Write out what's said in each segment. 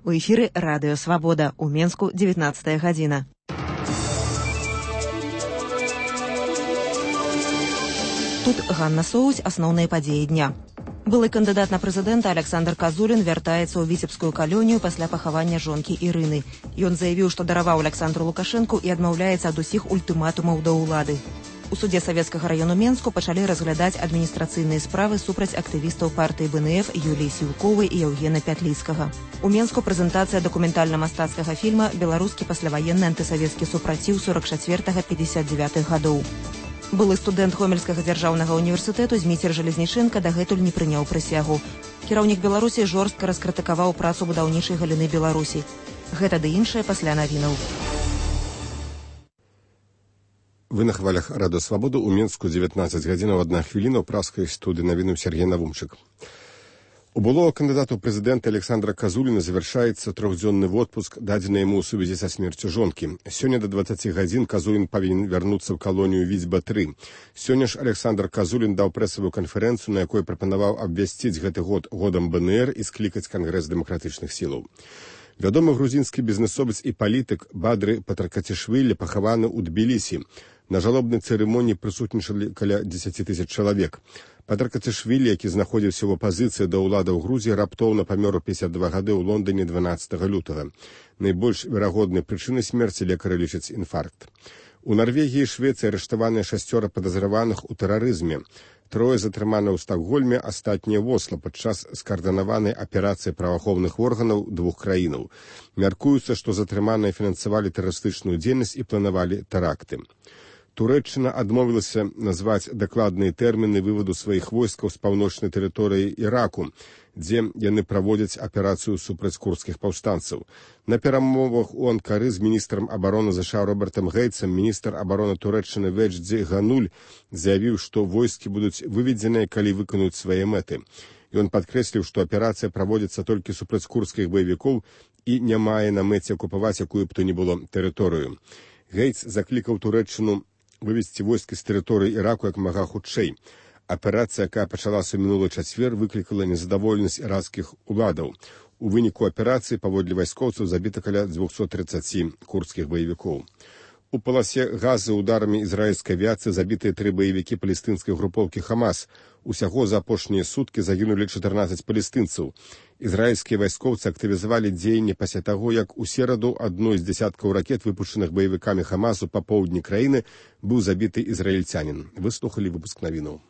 У эфіры Радыё Свабода. У Менску 19 гадзіна. Тут Ганна Соусь, асноўныя падзеі дня. Былы кандыдат на прэзідэнта Александр Казулін вяртаецца ў віцебскую калонію пасля пахавання жонкі Ірыны. Ён заявіў, што дараваў Александру Лукашэнку і адмаўляецца ад усіх ультыматумаў да ўлады. У суде Савецкага раёну Менску пачалі разглядаць адміністрацыйныя справы супраць актывістаў партыі БНФ Юліі Сіўковай і Яўгена Пятліцкага. У Менску прэзентацыя дакументальна-мастацкага фільма «Беларускі пасляваенны антысавецкі супраціў 44-59 гадоў». Былы студэнт Гомельскага дзяржаўнага універсітэту Зміцер Жалезнічэнка дагэтуль не прыняў прысягу. Кіраўнік Беларусі жорстка раскрытыкаваў працу будаўнічай галіны Беларусі. Гэта ды іншае пасля навінаў. Вы на хвалях Радыё Свабоду. У Менску 19 гадзінаў 1 хвіліна. У праскай студыі навіну Сергей Навумчык. У былого кандыдата ў прэзідэнта Александра Казуліна завяршаецца трохдзённы отпуск, дадзены яму ў сувязі са смерцю жонкі. Сёння да 20 гадзін Казулін павінен вярнуцца ў калонію Віцьба-3. Сёння ж Александр Казулін даў прэсавую канферэнцыю, на якой прапанаваў абвясціць гэты год годам БНР і склікаць Кангрэс дэмакратычных сілаў. Вядомы грузінскі бізнесовец і палітык Бадры Патракацішвілі пахаваны ў Тбілісі. На жалобнай цырымоніі прысутнічалі каля 10 тысяч чалавек. Патракацішвілі, які знаходзіўся ў апазіцыі да ўлады ў Грузіі, раптоўна памёр у 52 гады ў Лондоне 12 лютага. Найбольш верагоднай прычынай смерці лекары лічаць інфаркт. У Нарвегіі і Швецыі арыштаваныя 6 падазраваных у тэрарызме. 3 затрыманы ў Стакгольме, астатнія ў Осла падчас скаардынаванай аперацыі праваахоўных органаў 2 краінаў. Мяркуецца, што затрыманыя фінансавалі тэрарыстычную дзейнасць і планавалі тэракты. Турэччына адмовілася назваць дакладныя тэрміны вываду сваіх войскаў з паўночнай тэрыторыі Іраку, дзе яны праводзяць аперацыю супраць курдскіх паўстанцаў. На перамовах у Анкары з міністрам абароны ЗША Робертам Гейтсам міністр абароны Турэччыны Ведждзі Гануль заявіў, што войскі будуць выведзеныя, калі выканаюць свае мэты. Ён падкрэсліў, што аперацыя праводзіцца толькі супраць курдскіх баевікоў і не мае на мэце акупаваць якую б то ні было тэрыторыю. Гейтс заклікаў Турэччыну вывесці войскі з тэрыторыі Іраку як мага хутчэй. Аперацыя, якая пачалася ў мінулы чацвер, выклікала незадаволенасць іракскіх уладаў. У выніку аперацыі паводле вайскоўцаў забіта каля 230 курдскіх баевікоў. У паласе Газы ударамі ізраільскай авіяцыі забітыя 3 баевікі палестынскай групоўкі Хамас. Усяго за апошнія суткі загінулі 14 палестынцаў. Ізраільскія вайскоўцы актывізавалі дзеянні пасля таго, як у сераду адной з дзясяткаў ракет, выпушчаных баевікамі Хамасу па поўдні краіны, быў забіты ізраільцянін. Выслухалі выпуск навінаў.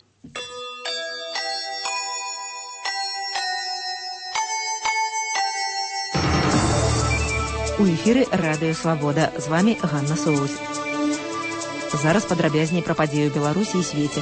У эфіры Радыё Свабода. З вамі Ганна Соусь. Зараз падрабязней пра падзею Беларусі і свеце.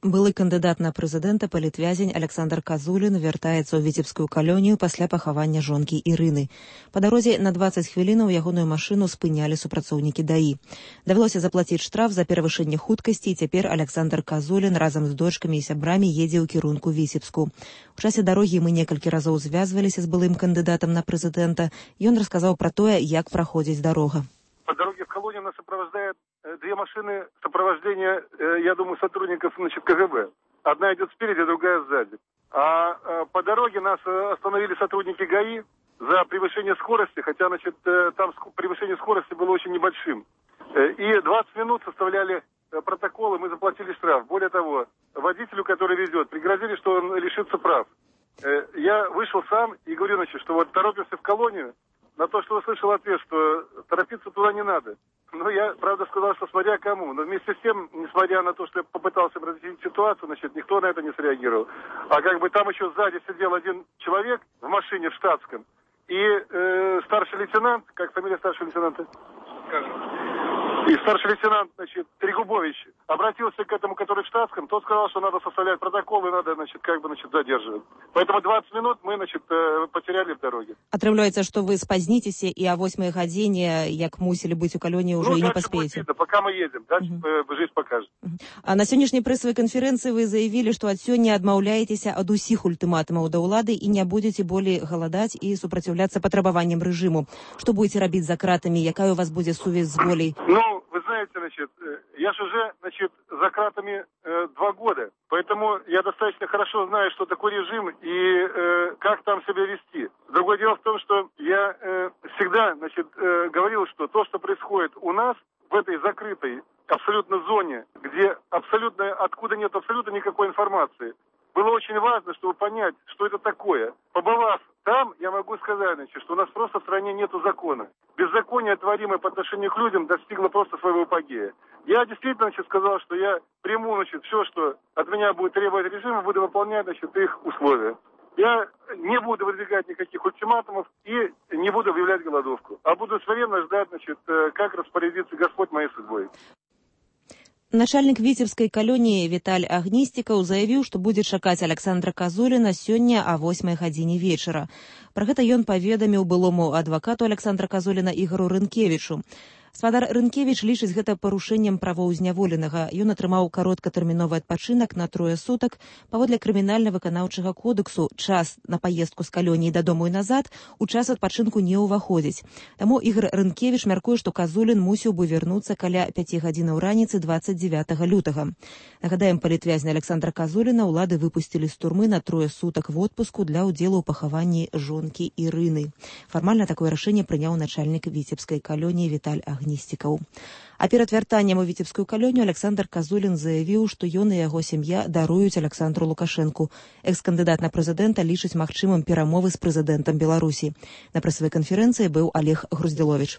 Былы кандыдат на прэзідэнта палітвязень Александр Казулін вяртаецца ў віцебскую калонію пасля пахавання жонкі Ірыны. Па дарозе на 20 хвілінаў ягоную машыну спынялі супрацоўнікі ДАІ. Давялося заплаціць штраф за перавышэнне хуткасці, і цяпер Александр Казулін разам з дочкамі і сябрамі едзе ў кірунку Віцебску. У часе дарогі мы некалькі разоў звязваліся з былым кандыдатам на прэзідэнта. Ён расказаў пра тое, як праходзіць дарога. По дороге в колонию нас сопровождают 2 машины сопровождения, я думаю, сотрудников, КГБ. Одна идет спереди, другая сзади. А по дороге нас остановили сотрудники ГАИ за превышение скорости, хотя, там превышение скорости было очень небольшим. И 20 минут составляли протоколы, мы заплатили штраф. Более того, водителю, который везет, пригрозили, что он лишится прав. Я вышел сам и говорю, что вот торопимся в колонию. На то, что услышал ответ, что торопиться туда не надо. Но я, правда, сказал, что смотря кому. Но вместе с тем, несмотря на то, что я попытался разъяснить ситуацию, никто на это не среагировал. А там еще сзади сидел один человек в машине в штатском. И старший лейтенант, как фамилия старшего лейтенанта? И старший лейтенант, Трегубович, обратился к этому, который в штатском, тот сказал, что надо составлять протокол и надо, задерживать. Поэтому 20 минут мы, потеряли в дороге. Атрымліваецца, што вы спазніцеся і о 8 гадзіне, як мусілі быць у калоніі, ўжо і не паспееце. Пока мы едем, дальше жизнь покажет. А на сённяшняй прэсавай канферэнцыі вы заявілі, што ад сёння адмаўляецеся ад усіх ультыматумаў да ўлады і не будзеце болей галадаць і супраціўляцца патрабаванням рэжыму. Што будзеце рабіць за кратамі? Якая у вас будзе сувязь з волей? Вы вы знаете, я же уже, за кратами 2 года. Поэтому я достаточно хорошо знаю, что такое режим и как там себя вести. Другое дело в том, что я всегда, говорил, что то, что происходит у нас в этой закрытой абсолютно зоне, где откуда нет абсолютно никакой информации, было очень важно, чтобы понять, что это такое. Побывав там, я могу сказать, что у нас просто в стране нету закона. Беззаконие, творимое по отношению к людям, достигло просто своего апогея. Я действительно сказал, что я приму все, что от меня будет требовать режим, буду выполнять их условия. Я не буду выдвигать никаких ультиматумов и не буду объявлять голодовку, а буду смиренно ждать, как распорядится Господь моей судьбой. Начальник віцебскай калоніі Віталь Агністікаў заявіў, што будзе чакаць Александра Казуліна сёння о 8 гадзіне вечара. Пра гэта ён паведаміў былому адвакату Александра Казуліна Ігору Рынкевічу. Спадар Рынкевіч лічыць гэта парушэннем правоў зняволенага. Ён атрымаў кароткатэрміновы адпачынак на 3 сутак. Паводле крымінальна-выканаўчага кодексу час на паездку з калоніі дадому і назад у час адпачынку не ўваходзіць. Таму Ігор Рынкевіч мяркуе, што Казулін мусіў бы вярнуцца каля 5 гадзінаў раніцы 29 лютага. Нагадаем, палітвязня Александра Казуліна ўлады выпусцілі з турмы на 3 сутак в отпуску для ўдзелу ў пахаванні жонкі Ірыны. Фармальна такое рашэнне прыняў начальнік віцебскай калоніі Віталь Агністікаў. А перад вяртаннем у віцебскую калонію Александр Казулін заявіў, што ён і яго сям'я даруюць Александру Лукашэнку. Экс-кандыдат на прэзідэнта лічыць магчымым перамовы з прэзідэнтам Беларусі. На прэсавай канферэнцыі быў Олег Груздзіловіч.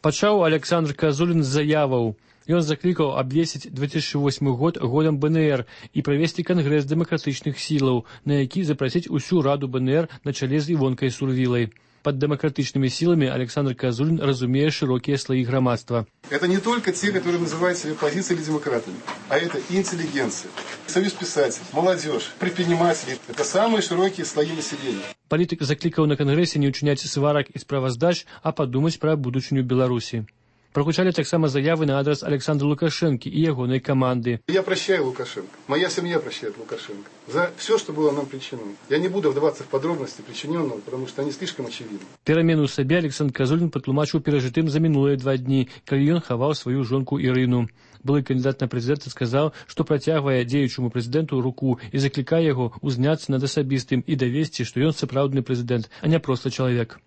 Пачаў Александр Казулін з заяваў. Ён заклікаў абвесціць 2008 год годам БНР і правесці кангрэс дэмакратычных сілаў, на які запрасіць усю раду БНР на чале з Івонкай Сурвілай. Под демократичными силами Александр Казулин разумеет широкие слои громадства. Это не только те, которые называют себя оппозицией или демократами, а это и интеллигенция, союз писателей, молодежь, предприниматели. Это самые широкие слои населения. Политик закликал на конгрессе не учинять сварок и справоздач, а подумать про будущую Беларуси. Прагучалі таксама заявы на адрес Александра Лукашенко и ягонай команды. Я прощаю Лукашенко. Моя семья прощает Лукашенко за все, что было нам причинено. Я не буду вдаваться в подробности причиненного, потому что они слишком очевидны. Перамену сабе Александр Казулін патлумачыў перажытым за мінулыя 2 дні, калі ён хаваў сваю жонку Ірыну. Былы кандидат на прэзідэнта сказаў, што працягвае дзеючаму прэзідэнту руку і заклікае яго узняцца над асабістым і давесці, што ён сапраўдны прэзідэнт, а не проста чалавек.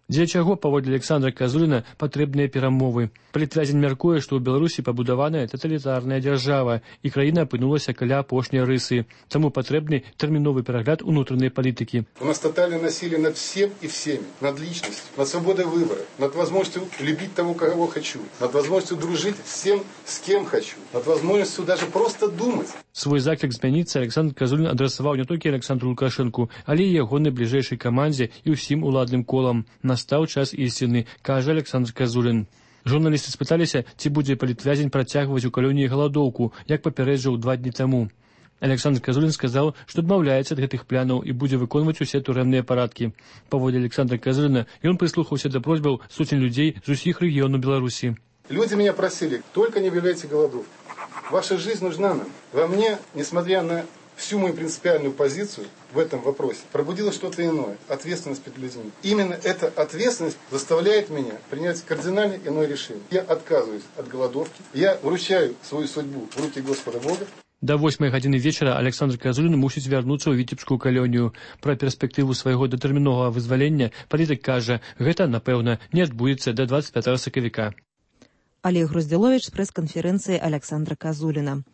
Для чаго, паводле Александра Казуліна, патрэбныя перамовы. Палітвязень мяркуе, што ў Беларусі пабудаваная таталітарная дзяржава, і краіна апынулася каля апошняй рысы. Таму патрэбны тэрміновы перагляд унутранай палітыкі. У нас тотальное насилие над всем и всеми, над личностью, над свободой выбора, над возможностью любить того, кого хочу, над возможностью дружить с тем, с кем хочу, над возможностью даже просто думать. Свой заклік змяніцца Александр Казулін адрасаваў не толькі Александру Лукашэнку, але і ягонай бліжэйшай камандзе і ўсім уладным колам. Настаў час ісціны, кажа Александр Казулін. Журналісты спыталіся, ці будзе палітвязень працягваць у калоніі галадоўку, як папярэджаў 2 дні таму. Александр Казулін сказаў, што адмаўляецца ад гэтых планаў і будзе выконваць усе турэмныя парадкі. Паводле Александра Казуліна, ён прыслухаўся да просьбаў сотень людзей з усіх рэгіёнаў Беларусі. Люди меня просили, только не объявляйте голодовку. Ваша жизнь нужна нам. Во мне, несмотря на всю мою принципиальную позицию в этом вопросе, пробудилось что-то иное, ответственность перед людьми. Именно эта ответственность заставляет меня принять кардинально иное решение. Я отказываюсь от голодовки, я вручаю свою судьбу в руки Господа Бога. До 8 гадзіны вечара Александр Казулін мусіць вярнуцца ў віцебскую калонію. Пра перспектыву свайго датэрміновага вызвалення палітык кажа, гэта, напэўна, не адбудзецца да 25 сакавіка. Олег Груздзіловіч з прэс-канферэнцыі Александра Казуліна.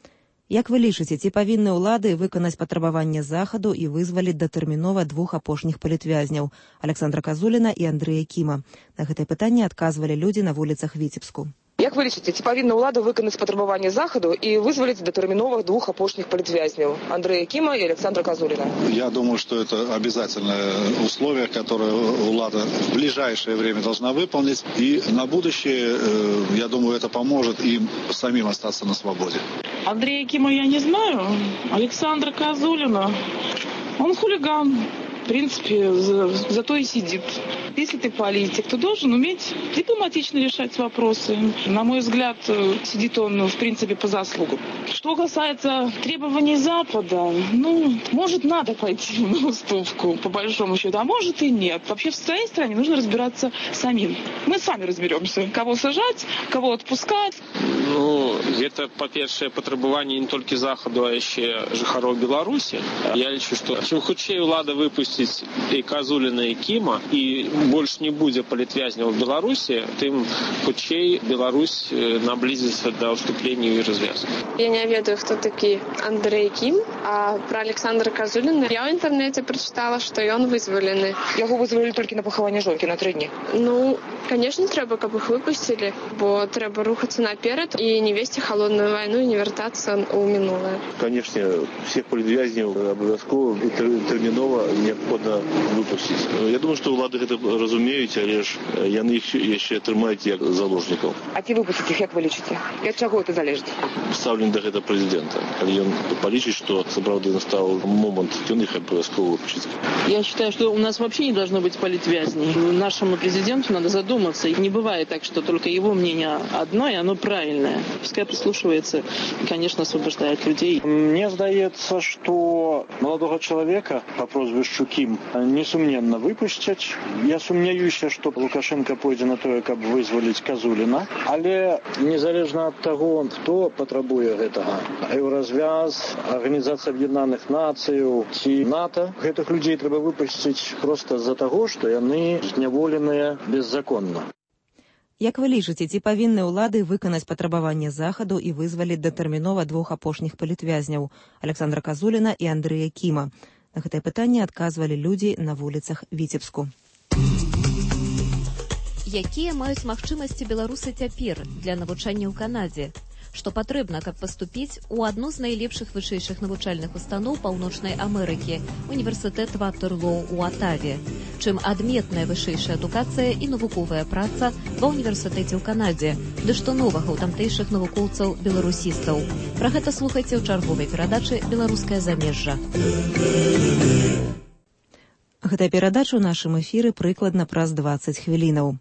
Як вы лічыце, ці павінны ўлады выканаць патрабаванне захаду і вызваліць датэрмінова 2 апошніх палітвязняў – Александра Казуліна і Андрэя Кіма? На гэтае пытанне адказвалі людзі на вуліцах Віцебску. Як вы лічыце, ці павінна ўлада выканаць патрабаванне захаду і вызваліць датэрміновых 2 апошніх палітвязняў – Андрэя Кіма и Александра Казулина? Я думаю, что это обязательное условие, которое влада в ближайшее время должна выполнить. И на будущее, я думаю, это поможет им самим остаться на свободе. Андрея Кима я не знаю. Александра Казулина, он хулиган. В принципе, зато и сидит. Если ты политик, то должен уметь дипломатично решать вопросы. На мой взгляд, сидит он, в принципе, по заслугам. Что касается требований Запада, может, надо пойти на уступку, по большому счету, а может и нет. Вообще в своей стране нужно разбираться самим. Мы сами разберемся, кого сажать, кого отпускать. Это, па-першае, патрабаванне не толькі Захаду, а яшчэ жыхароў Беларусі. Я лічу, што чым хутчэй ўлада выпусціць і Казуліна, і Кіма, і больш не будзе палітвязняў у Беларусі, тым хутчэй Беларусь наблизится до уступления и развязки. Я не ведаю, кто такие Андрей Ким, а про Александра Казулина я в интернете прочитала, что он вызволены. Его вызвали только на похование жонки на 3 дні. Конечно, треба, каб их выпустили, бо треба рухаться наперед и не вести холодную войну и не вертаться у минулое. Конечно, всех политвязней обовязково и терминово необходимо выпустить. Я думаю, что улады это разумеют, але ж яны их еще трымаюць як заложников. А ці выпустить их, як вы лічыце? І ад чаго это залежит? Ставлен до этого президента. Калі ён полічыць, что сапраўды настал момент, он их обовязково выпустит. Я считаю, что у нас вообще не должно быть политвязней. Нашему президенту надо задуматься. И не бывает так, что только его мнение одно, и оно правильное. Пускай прислушивается и, конечно, освобождает людей. Мне здаецца, что молодого человека по прозвищу Ким несумненно выпустят. Я сумняюся, что Лукашенко пойдзе на тое, каб вызволіць Казуліна. Але незалежна ад таго, хто патрабуе гэтага. Еўразвяз, Арганізацыя Аб'яднаных Нацыяў ці НАТО. Гэтых людзей трэба выпусціць проста з-за таго, што яны зняволеныя беззаконна. Як вы лічыце, ці павінны ўлады выканаць патрабаванне Захаду і вызваліць датэрмінова 2 апошніх палітвязняў – Александра Казуліна і Андрэя Кіма? На гэтае пытанне адказвалі людзі на вуліцах Віцебску. Якія маюць магчымасці беларусы цяпер для навучання ў Канадзе? Што патрэбна, каб паступіць у адну з найлепшых вышэйшых навучальных устаноў Паўночнай Амерыкі – універсітэт Ватерлоу у Атаве. Чым адметная вышэйшая адукацыя і навуковая праца ва ўніверсітэце ў Канадзе, ды што новага ў тамтэйшых навукоўцаў-беларусістаў. Пра гэта слухайце ў чарговай перадачы «Беларускае замежжа». Гэтая перадача ў нашым эфіры прыкладна праз 20 хвілінаў.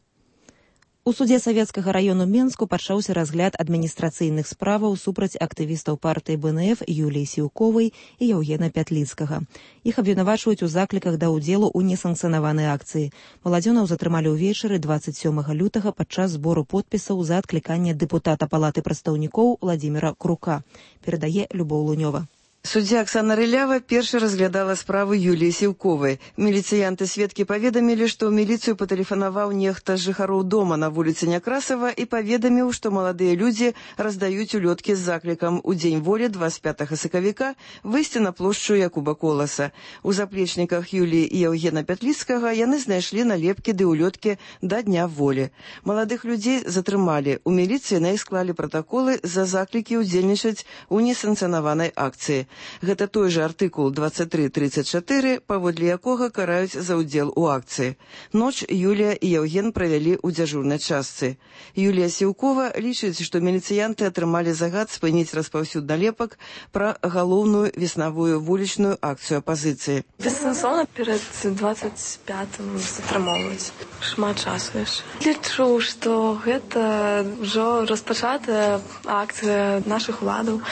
У судзе Савецкага раёну Менску пачаўся разгляд адміністрацыйных справаў супраць актывістаў партыі БНФ Юліі Сіўковай і Яўгена Пятліцкага. Іх абвінавачваюць у закліках да ўдзелу ў несанкцыянаванай акцыі. Маладзёнаў затрымалі ўвечары 27 лютага падчас збору подпісаў за адкліканне дэпутата Палаты прадстаўнікоў Владзіміра Крука. Перадае Любоў Лунёва. Суддзя Аксана Рылява першы разглядала справу Юліі Сіўковай. Міліцыянты-сведкі паведамілі, што ў міліцыю патэлефанаваў нехта з жыхароў дома на вуліцы Някрасава і паведаміў, што маладыя людзі раздаюць улёткі з заклікам у дзень волі 25 сакавіка выйсці на плошчу Якуба Коласа. У заплечніках Юліі і Яўгена Пятліцкага яны знайшлі налепкі ды улёткі да дня волі. Маладых людзей затрымалі. У міліцыі на іх склалі пратаколы за заклікі ўдзельнічаць у несанкцыянаванай акцыі. Гэта той жа артыкул 23.34, паводле якога караюць за ўдзел у акцыі. Ноч Юлія і Яўген правялі ў дзяжурнай частцы. Юлія Сіўкова лічыць, што міліцыянты атрымалі загад спыніць распаўсюд налепак пра галоўную веснавую вулічную акцыю апазіцыі. Бессэнсоўна перад 25-м затрымоўваць. Шмат часу яшчэ. Лічу, што гэта ўжо распачатая акцыя нашых уладаў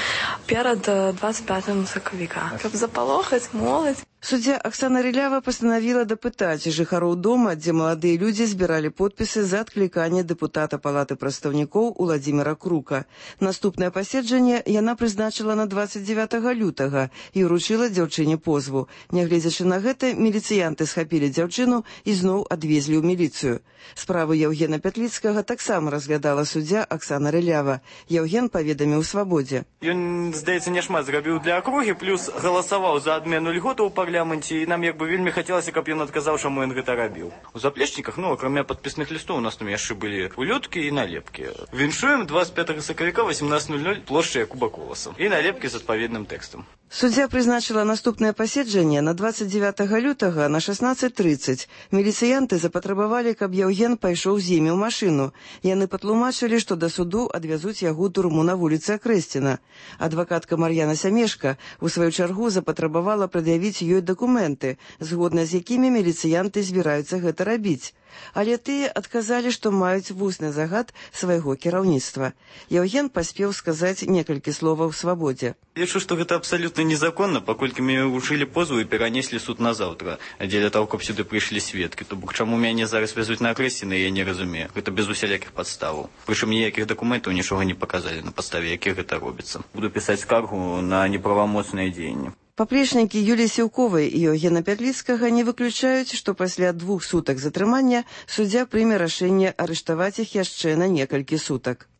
перад 25 сакавіка. Каб запалохаць моладзь. Суддзя Аксана Рылява пастанавіла дапытаць жыхароў дома, дзе маладыя людзі збіралі подпісы за адкліканне дэпутата Палаты прадстаўнікоў Владзіміра Крука. Наступнае паседжанне яна прызначыла на 29 лютага і ўручыла дзяўчыне позву. Нягледзячы на гэта, міліцыянты схапілі дзяўчыну і зноў адвезлі ў міліцыю. Справу Яўгена Пятліцкага таксама разглядала суддзя Аксана Рылява. Яўген паведаміў свабодзе. Ён, здаецца, няшмат зрабіў для акругі, плюс галасаваў за адмену льготаў у парламенце, і нам як бы вельмі хацелася, каб ён адказаў, чаму ён гэта рабіў. У заплечніках, акрамя падпісных лістоў, у нас там яшчэ былі улёткі і налепкі. Віншуем 25 сакавіка 18:00 плошча Якуба Коласа. І налепкі з адпаведным тэкстам. Суддзя прызначыла наступнае паседжанне на 29 лютага на 16:30. Міліцыянты запатрабавалі, каб Яўген пайшоў з імі ў машыну. Яны патлумачылі, што да суду адвязуць яго ў турму на вуліцы Акрэсціна. Адвакатка Мар'яна Сямешка у сваю чаргу запатрабавала прад'явіць ёй дакументы, згодна з якімі міліцыянты збіраюцца гэта рабіць. Але тыя адказалі, што маюць вусны загад свайго кіраўніцтва. Яўген паспеў сказаць некалькі словаў свабодзе. Лічу, што гэта абсалютна незаконна, паколькі мяне ўручылі позву і перанеслі суд на заўтра, дзеля таго, каб сюды прыйшлі сведкі. То бок чаму мяне зараз вязуць на Акрэсціна, я не разумею. Гэта без усялякіх падставаў. Прычым ніякіх дакументаў нічога не паказалі, на падставе якіх гэта робіцца. Буду пісаць скаргу на неправамоцнае дзеянне. Паплечнікі Юліі Сіўковай і Яўгена Пятліцкага не выключаюць, што пасля 2 сутак затрымання суддзя прыме рашэнне арыштаваць іх яшчэ на некалькі сутак.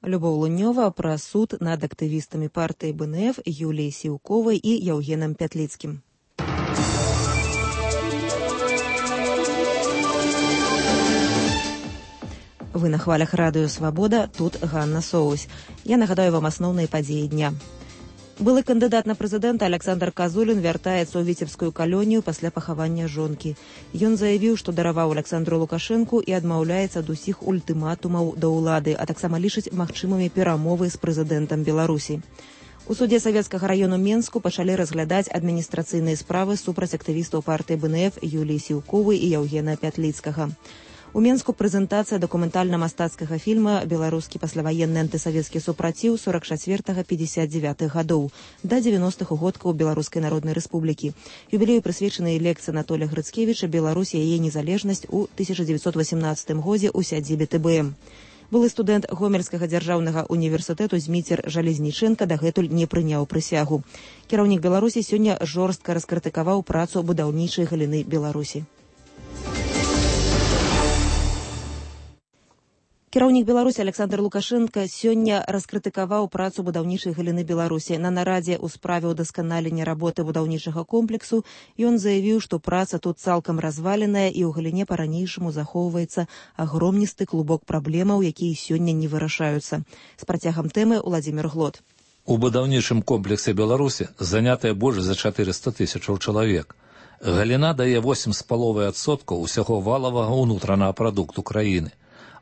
Любоў Лунёва пра суд над актывістамі партыі БНФ Юліяй Сіўковай і Яўгенам Пятліцкім. Вы на хвалях радыё «Свабода», тут Ганна Соусь. Я нагадаю вам асноўныя падзеі дня. Былы кандыдат на прэзідэнта Александр Казулін вяртаецца ў віцебскую калонію пасля пахавання жонкі. Ён заявіў, што дараваў Александру Лукашэнку і адмаўляецца ад усіх ультыматумаў да ўлады, а таксама лічыць магчымымі перамовы з прэзідэнтам Беларусі. У судзе Савецкага раёну Менску пачалі разглядаць адміністрацыйныя справы супраць актывістаў партыі БНФ Юліі Сіўковай і Яўгена Пятліцкага. У Менску прэзентацыя дакументальна-мастацкага фільма «Беларускі пасляваенны антысавецкі супраціў 44-59 гадоў» да 90-х годкаў Беларускай Народнай Рэспублікі. Юбілею прысвечаны лекцыя Анатолія Грыцкевіча «Беларусь і яе незалежнасць» у 1918 годзе ў сядзібе ТБМ. Былы студэнт Гомельскага дзяржаўнага універсітэту Зміцер Жалезніченка дагэтуль не прыняў прысягу. Кіраўнік Беларусі сёння жорстка раскрытыкаваў працу будаўнічай галіны Беларусі. Кіраўнік Беларусі Александр Лукашенко сёння раскрытыкаваў працу будаўнічай галіны Беларусі. На нарадзе ў справе ўдасканалення работы будаўнічага комплексу ён заявіў, што праца тут цалкам разваленая і ў галіне па-ранейшаму захоўваецца агромністы клубок праблемаў, якія сёння не вырашаюцца. З працягам тэмы Уладзімір Глот. У будаўнічым комплексе Беларусі занятыя больш за 400 тысячаў чалавек. Галіна дае 8,5% усяго валавага ўнутранага прадукту краіны.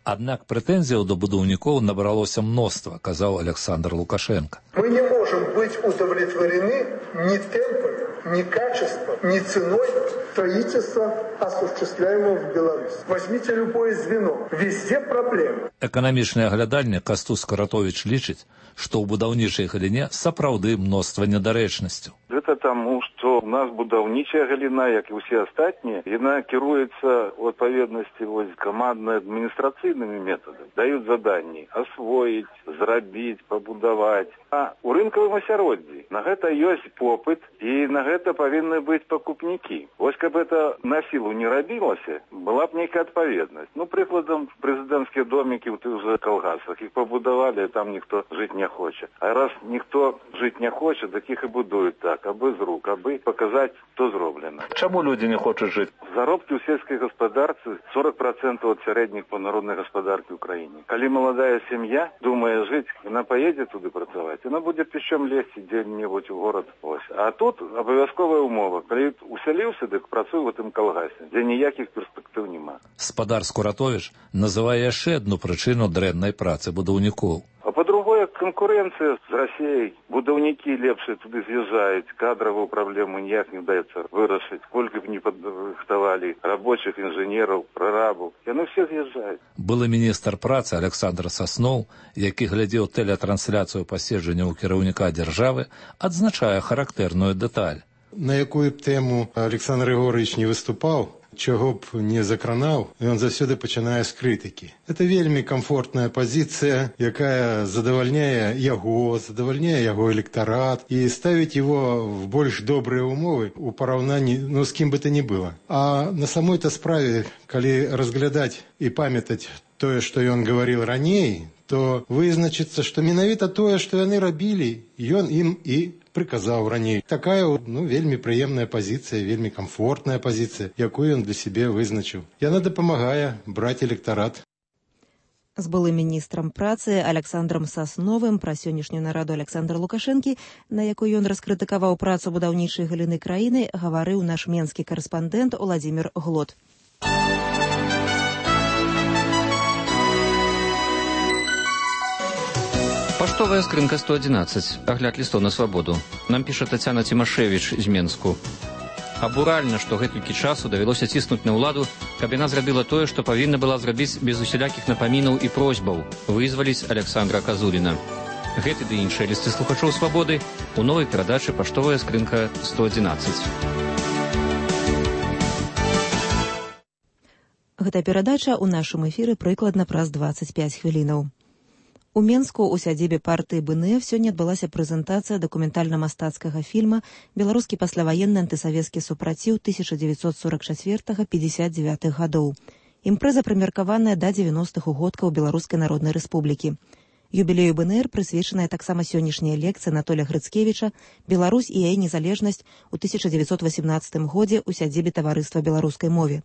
Аднак прэтэнзіяў да будаўнікоў набралося мноства, казаў Александр Лукашенко. Мы не можем быть удовлетворены ни темпом, ни качеством, ни ценой строительства, осуществляемого в Беларуси. Возьмите любое звено. Везде проблемы. Эканамічны аглядальнік Кастус Каратович лічыць, што ў будаўнічай галіне сапраўды мноства недарэчнасцяў. Гэта таму, што у нас будаўнічая галіна, як і ўсе астатнія, яна кіруецца ў адпаведнасці камандна-адміністрацыйнымі метадамі. Даюць заданні асвоіць, зрабіць, пабудаваць. А ў рынкавым асяроддзі на гэта ёсць попыт і на гэта павінны быць пакупнікі. Вось каб это на сілу не рабілася, была б нейкая адпаведнасць. Ну, прыкладам, прэзідэнцкія домікі ў тых жа калгасах. Іх пабудавалі, а там ніхто жыць не хоча. А раз ніхто жыць не хоча, так іх і будуюць так, абы з рук, абы паказаць, што зроблена. Чаму людзі не хочуць жыць? Заробкі ў сельскай гаспадарцы 40% ад сярэдніх па народнай гаспадаркі ў краіне. Калі маладая сям'я думае жыць, яна паедзе туды працаваць, яна будзе пішчом лезці дзе-небудзь у горад. Ось. А тут абавязковая умова. Калі усяліўся, дык працуй у тым калгасе, дзе ніякіх перспектыў няма. Спадар Скуратович называе яшчэ адну прычыну дрэннай працы будаўнікоў. А па-другое, канкурэнцыя з Расіяй. Будаўнікі лепшыя туды з'язджаюць, кадравую праблему ніяк не даецца вырашыць. Колькі б не падрыхтавалі рабочых, інжынераў, прарабаў. Яны все з'язджаюць. Былы міністр працы Александр Сасноў, які глядзеў тэлетрансляцыю паседжання ў кіраўніка дзяржавы, адзначае характэрную дэталь. На якую б тэму Александр Егорович не выступаў, чого б не закранаў, ён заўсёды пачынае з крытыкі. Это вельмі комфортная пазіцыя, якая задавальняе яго электарат і ставіць его в больш добрыя умовы у параўнанні, з кім бы то ни было. А на самой-то справе, калі разглядаць і памятаць тое, што ён гаварыў раней, то вызначыцца, што менавіта тое, што яны рабілі, ён ім і прыказаў раней. Такая, вельмі прыемная пазіцыя, вельмі комфортная пазіцыя, якую ён для сябе вызначыў. Яна дапамагае браць электарат. З былым міністрам працы Александром Сасновым пра сённяшнюю нараду Александра Лукашэнкі, на якой ён раскрытыкаваў працу будаўнічай галіны краіны, гаварыў наш менскі карэспандэнт Владимир Глот. Паштовая скрынка 111. Агляд лістоў на свабоду. Нам піша Тацяна Цімашевіч з Менску. Абуральна, што гэтулькі часу давялося ціснуць на ўладу, каб яна зрабіла тое, што павінна была зрабіць без усялякіх напамінаў і просьбаў – вызваліць Александра Казуліна. Гэты ды іншыя лісты слухачоў свабоды у новай перадачы «Паштовая скрынка 111». Гэта перадача ў нашым эфіры прыкладна праз 25 хвілінаў. У Менску у сядзібе партыі БНФ сёння адбылася прэзентацыя дакументальна-мастацкага фільма «Беларускі пасляваенны антысавецкі супраціў 1944-59 гадоў». Імпрэза прымеркаваная да 90-х угодкаў Беларускай Народнай Рэспублікі. Юбілею БНР прысвечаная таксама сённяшняя лекцыя Анатолія Грыцкевіча «Беларусь і яе незалежнасць у 1918 годзе ў сядзібе таварыства беларускай мове».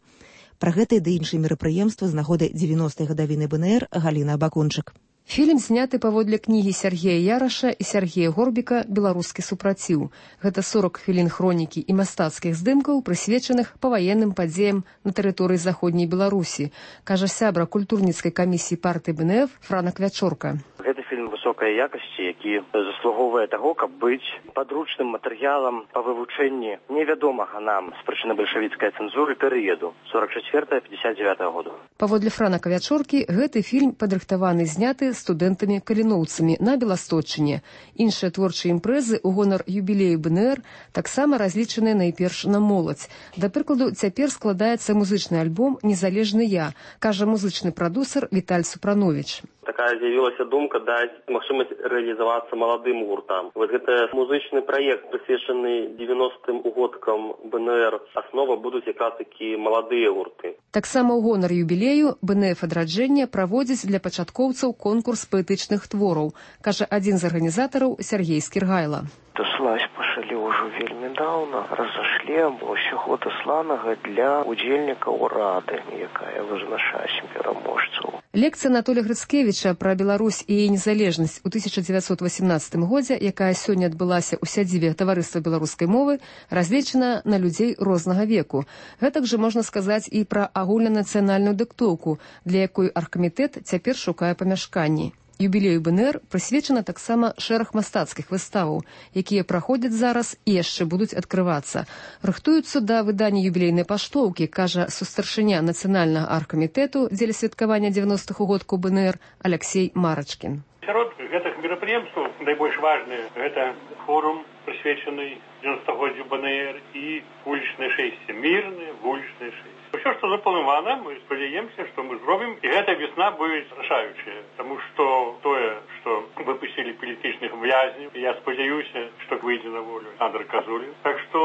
Пра гэта і ды іншыя мерапрыемствы з нагоды 90-й гадавіны БНР Галіна Абакунчык. Фільм зняты паводле кнігі Сергея Яраша і Сергея Горбіка «Беларускі супраціў». Гэта 40 хвілін хронікі і мастацкіх здымкаў, прысвечаных паваенным падзеям на тэрыторыі заходняй Беларусі, кажа сябра культурніцкай камісіі партыі БНФ Франак Вячорка. Гэта фільм высокай якасці, які заслугоўвае таго, каб быць падручным матэрыялам па вывучэнні невядомага нам з прычыны бальшавіцкай цэнзуры перыяду 44-59 году. Паводле Франака Вячоркі, гэты фільм падрыхтаваны зняты студэнтамі-каліноўцамі на Беласточчыне. Іншыя творчыя імпрэзы ў гонар юбілею БНР таксама разлічаныя найперш на моладзь. Да прыкладу, цяпер складаецца музычны альбом «Незалежны я», кажа музычны прадусер Віталь Супрановіч. Такая з'явілася думка даць магчымасць рэалізавацца маладым гуртам. Вось гэта музычны праект, прысвечаны 90-м угодкам БНР. Аснова будуць якраз такі маладыя гурты. Таксама ў гонар юбілею БНФ «Адраджэнне» праводзіць для пачаткоўцаў конкурс паэтычных твораў, кажа адзін з арганізатараў Сергей Скіргайла. Даслаць пачалі ўжо вельмі даўна. Разашлі ўсяго дасланага для удзельнікаў рады, якая вызначае пераможцаў. Лекцыя Анатолія Грыцкевіча пра Беларусь і яе незалежнасць у 1918 годзе, якая сёння адбылася ў сядзібе таварыства беларускай мовы, разлічана на людзей рознага веку. Гэтак жа можна сказаць і пра агульнанацыянальную дыктоўку, для якой аргкамітэт цяпер шукае памяшканні. Юбілею БНР прысвечана таксама шэраг мастацкіх выставаў, якія праходзяць зараз і яшчэ будуць адкрывацца. Рыхтуюцца да выдання юбілейнай паштоўкі, кажа сустаршыня нацыянальнага аргкамітэту дзеля святкавання 90-х угодкаў БНР Алексей Марачкін. Сярод гэтых мерапрыемстваў найбольш важныя гэта форум, прысвечаны 90-годдзю БНР і вулічнае шэсце, мірнае вулічнае шэсце. Усё, што запланавана, мы спадзяемся, што мы зробім, і гэта весна будзе рашаючая, таму што тое, што выпусцілі палітычных вязняў, я спадзяюся, што выйдзе на волю Александр Казулін. Так што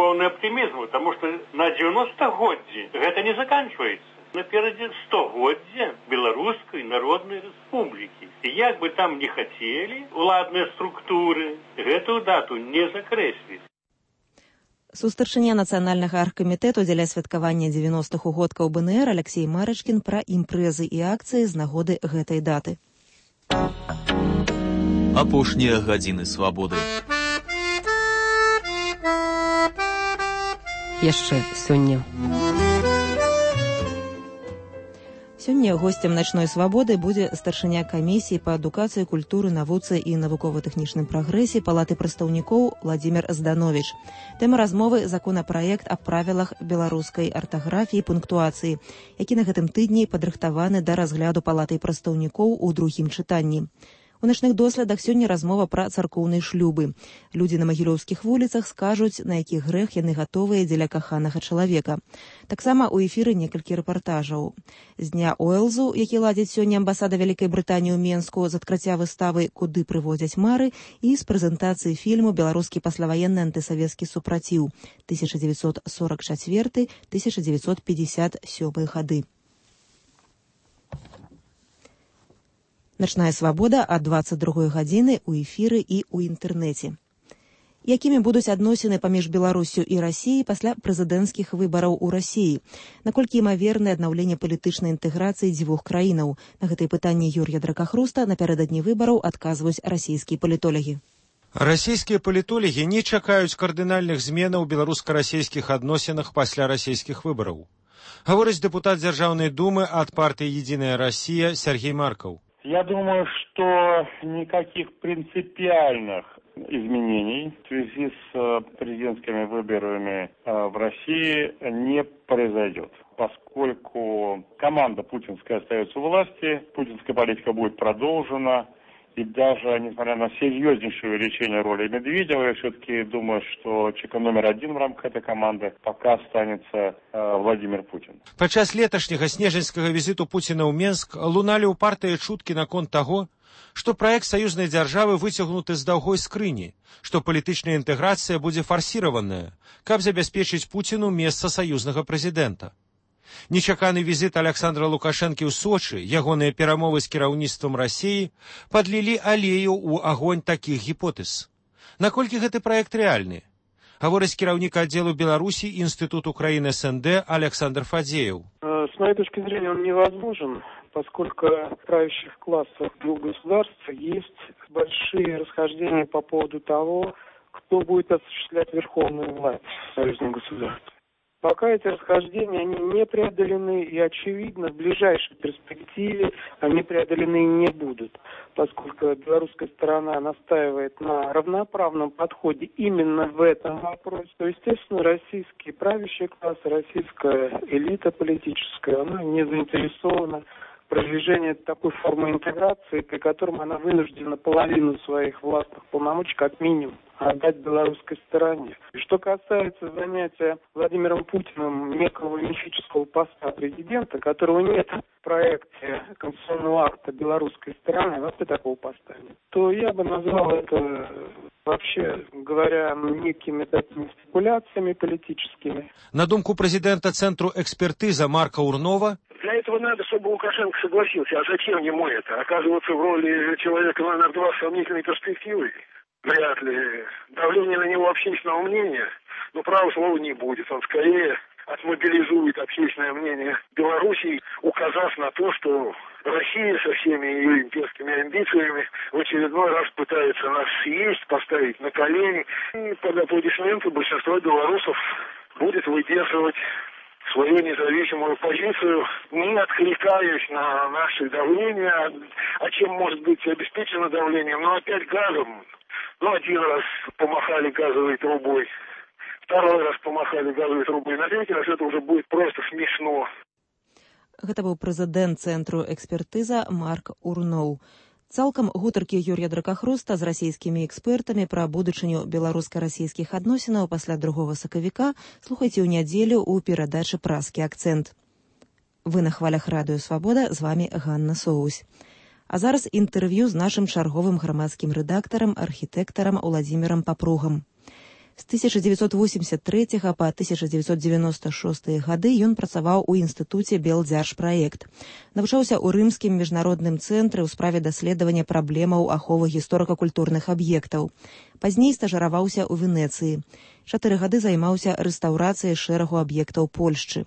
поўны аптымізм, таму што на 90-годдзі гэта не заканчваецца. Наперадзе 100-годдзе Беларускай Народнай Рэспублікі. І як бы там не хацелі уладныя структуры, гэтую дату не закрэсліць. Сустаршыня нацыянальнага аргкамітэту дзеля святкавання 90-х угодкаў БНР Алексей Марачкін пра імпрэзы і акцыі з нагоды гэтай даты. Апошнія гадзіны свабоды. Яшчэ сёння. Сёння госцем начной свабоды будзе старшыня камісіі па адукацыі, культуры, навуцы і навукова-тэхнічным прагрэсе Палаты прадстаўнікоў Владимир Зданович. Тэма размовы законапраект аб правілах беларускай артаграфіі і пунктуацыі, які на гэтым тыдні падрыхтаваны да разгляду Палатай прадстаўнікоў у другім чытанні. У начных доследах сёння размова пра царкоўныя шлюбы. Людзі на магілёўскіх вуліцах скажуць, на які грэх яны гатовыя дзеля каханага чалавека. Таксама ў эфіры некалькі рэпартажаў. З дня Уэлзу, які ладзіць сёння амбасада Вялікай Брытаніі ў Менску, з адкрыцця выставы «Куды прыводзяць мары» і з прэзентацыі фільму «Беларускі пасляваенны антысавецкі супраціў» 1944-1957 гады. Начная свабода ад 22 гадзіны ў эфіры і ў інтэрнэце. Якімі будуць адносіны паміж Беларуссю і Расіяй пасля прэзідэнцкіх выбараў у Расіі? Наколькі імавернае аднаўленне палітычнай інтэграцыі дзвюх краінаў? На гэтыя пытанні Юрія Дракахруста напярэдадні выбараў адказваюць расійскія палітолагі. Расійскія палітолагі не чакаюць кардынальных зменаў у беларуска-расійскіх адносінах пасля расійскіх выбараў. Гаворыць дэпутат Дзяржаўнай думы ад партыі «Единая Россия» Сергей Марков. Я думаю, что никаких принципиальных изменений в связи с президентскими выборами в России не произойдет, поскольку команда путинская остается у власти, путинская политика будет продолжена, и даже несмотря на серьезнейшее увеличение роли Медведева, я все-таки думаю, что человеком номер один в рамках этой команды пока останется Владимир Путин. Падчас леташняга снежаньскага візіту Пуціна ў Менск луналі ўпартыя чуткі наконт таго, што праект саюзнай дзяржавы выцягнуты з даўгой скрыні, што палітычная інтэграцыя будзе фарсіраваная, каб забяспечыць Пуціну месца саюзнага прэзідэнта. Нечаканы візіт Александра Лукашэнкі ў Сочы, ягоныя перамовы з кіраўніцтвам Расіі падлілі алею ў агонь такіх гіпотэз. Наколькі гэты праект рэальны? Гаворыць кіраўнік аддзелу Беларусі Институт Украины СНД Александр Фадеев. С моей точки зрения он невозможен, поскольку в правящих классах двух государств есть большие расхождения по поводу того, кто будет осуществлять верховную власть в союзном государстве. Пока эти расхождения они не преодолены, и, очевидно, в ближайшей перспективе они преодолены не будут, поскольку белорусская сторона настаивает на равноправном подходе именно в этом вопросе. То, естественно, российский правящий класс, российская элита политическая, она не заинтересована в продвижении такой формы интеграции, при котором она вынуждена половину своих властных полномочий, как минимум, отдать белорусской стороне. И что касается занятия Владимиром Путиным некого мифического поста президента, которого нет в проекте конституционного акта белорусской стороны, вообще такого поста нет, то я бы назвал это, вообще говоря, некими такими спекуляциями политическими. На думку президента Центру экспертиза Марка Урнова, для этого надо, чтобы Лукашенко согласился. А зачем ему это? Оказываться в роли человека номер 2 с сомнительной перспективой? Вряд ли. Давление на него общественного мнения, права слова не будет. Он скорее отмобилизует общественное мнение Белоруссии, указав на то, что Россия со всеми ее имперскими амбициями в очередной раз пытается нас съесть, поставить на колени. И под аплодисменты большинство белорусов будет выдерживать свою независимую позицию, не откликаясь на наше давление. А чем может быть обеспечено давлением? Опять газом. Один раз помахали газовой трубой, второй раз помахали газовой трубой, на третий раз это уже будет просто смешно. Гэта быў прэзідэнт Цэнтру экспертыза Марк Урноў. Цалкам гутаркі Юрія Дракахруста з расійскімі экспертамі пра будучыню беларуска-расійскіх адносінаў пасля 2 сакавіка слухайце ў нядзелю ў перадачы «Празкі акцэнт». Вы на хвалях радыё «Свабода», з вамі Ганна Соусь. А зараз інтэрв'ю з нашым чарговым грамадскім рэдактарам, архітэктарам Уладзімірам Папругам. З 1983 па 1996 гады ён працаваў у інстытуце Белдзяржпраект. Навучаўся ў рымскім міжнародным цэнтры ў справе даследавання праблемаў аховы гісторыка-культурных аб'ектаў. Пазней стажыраваўся ў Венецыі. 4 гады займаўся рэстаўрацыяй шэрагу аб'ектаў Польшчы.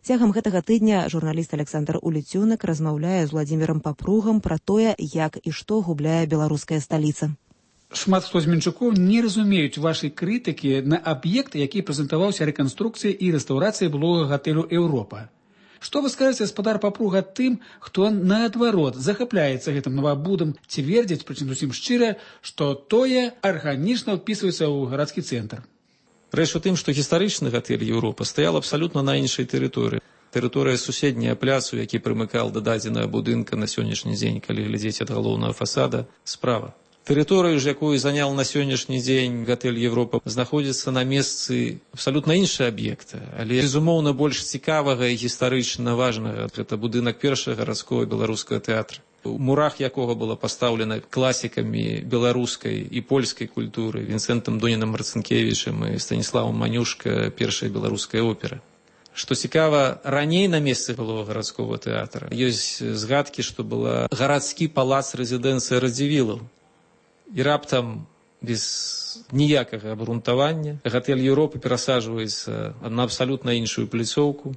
Цягам гэтага тыдня журналіст Александр Уліцюнак размаўляе з Уладзімірам Папругам пра тое, як і што губляе беларуская сталіца. Шмат хто з мінчукоў не разумеюць вашай крытыкі на аб'ект, які прэзентаваўся рэканструкцыяй і рэстаўрацыяй былога гатэлю «Еўропа». Што вы скажаце, гаспадар Папруга, тым, хто наадварот захапляецца гэтым новабудам, ці вердзяць, прычым зусім шчыра, што тое арганічна ўпісваецца ў гарадскі цэнтр? Рэч у тым, што гістарычны гатэль «Еўропа» стаял абсалютна на іншай тэрыторыі. Тэрыторыя суседняя пляцу, які прымыкаў да дадзенага будынка на сённяшні дзень, калі глядзець ад галоўнага фасада, справа. Тэрыторыю ж, якую занял на сённяшні дзень гатэль «Еўропа», знаходзіцца на месцы абсалютна іншага аб'екта, але, безумоўна, больш цікавага і гістарычна важнага. Гэта будынак першага гарадскога беларускага тэатра, у мурах якога была пастаўлена класікамі беларускай і польскай культуры Вінсэнтам Донінам Марцынкевічам і Станіславам Манюшка першая беларуская опера. Што цікава, раней на месцы былога гарадскога тэатра ёсць згадкі, што была гарадскі палац рэзідэнцыя Радзівілаў. І раптам без ніякага абрунтавання. Гатэль Еўропы перасаджваецца на абсалютна іншую пляцоўку.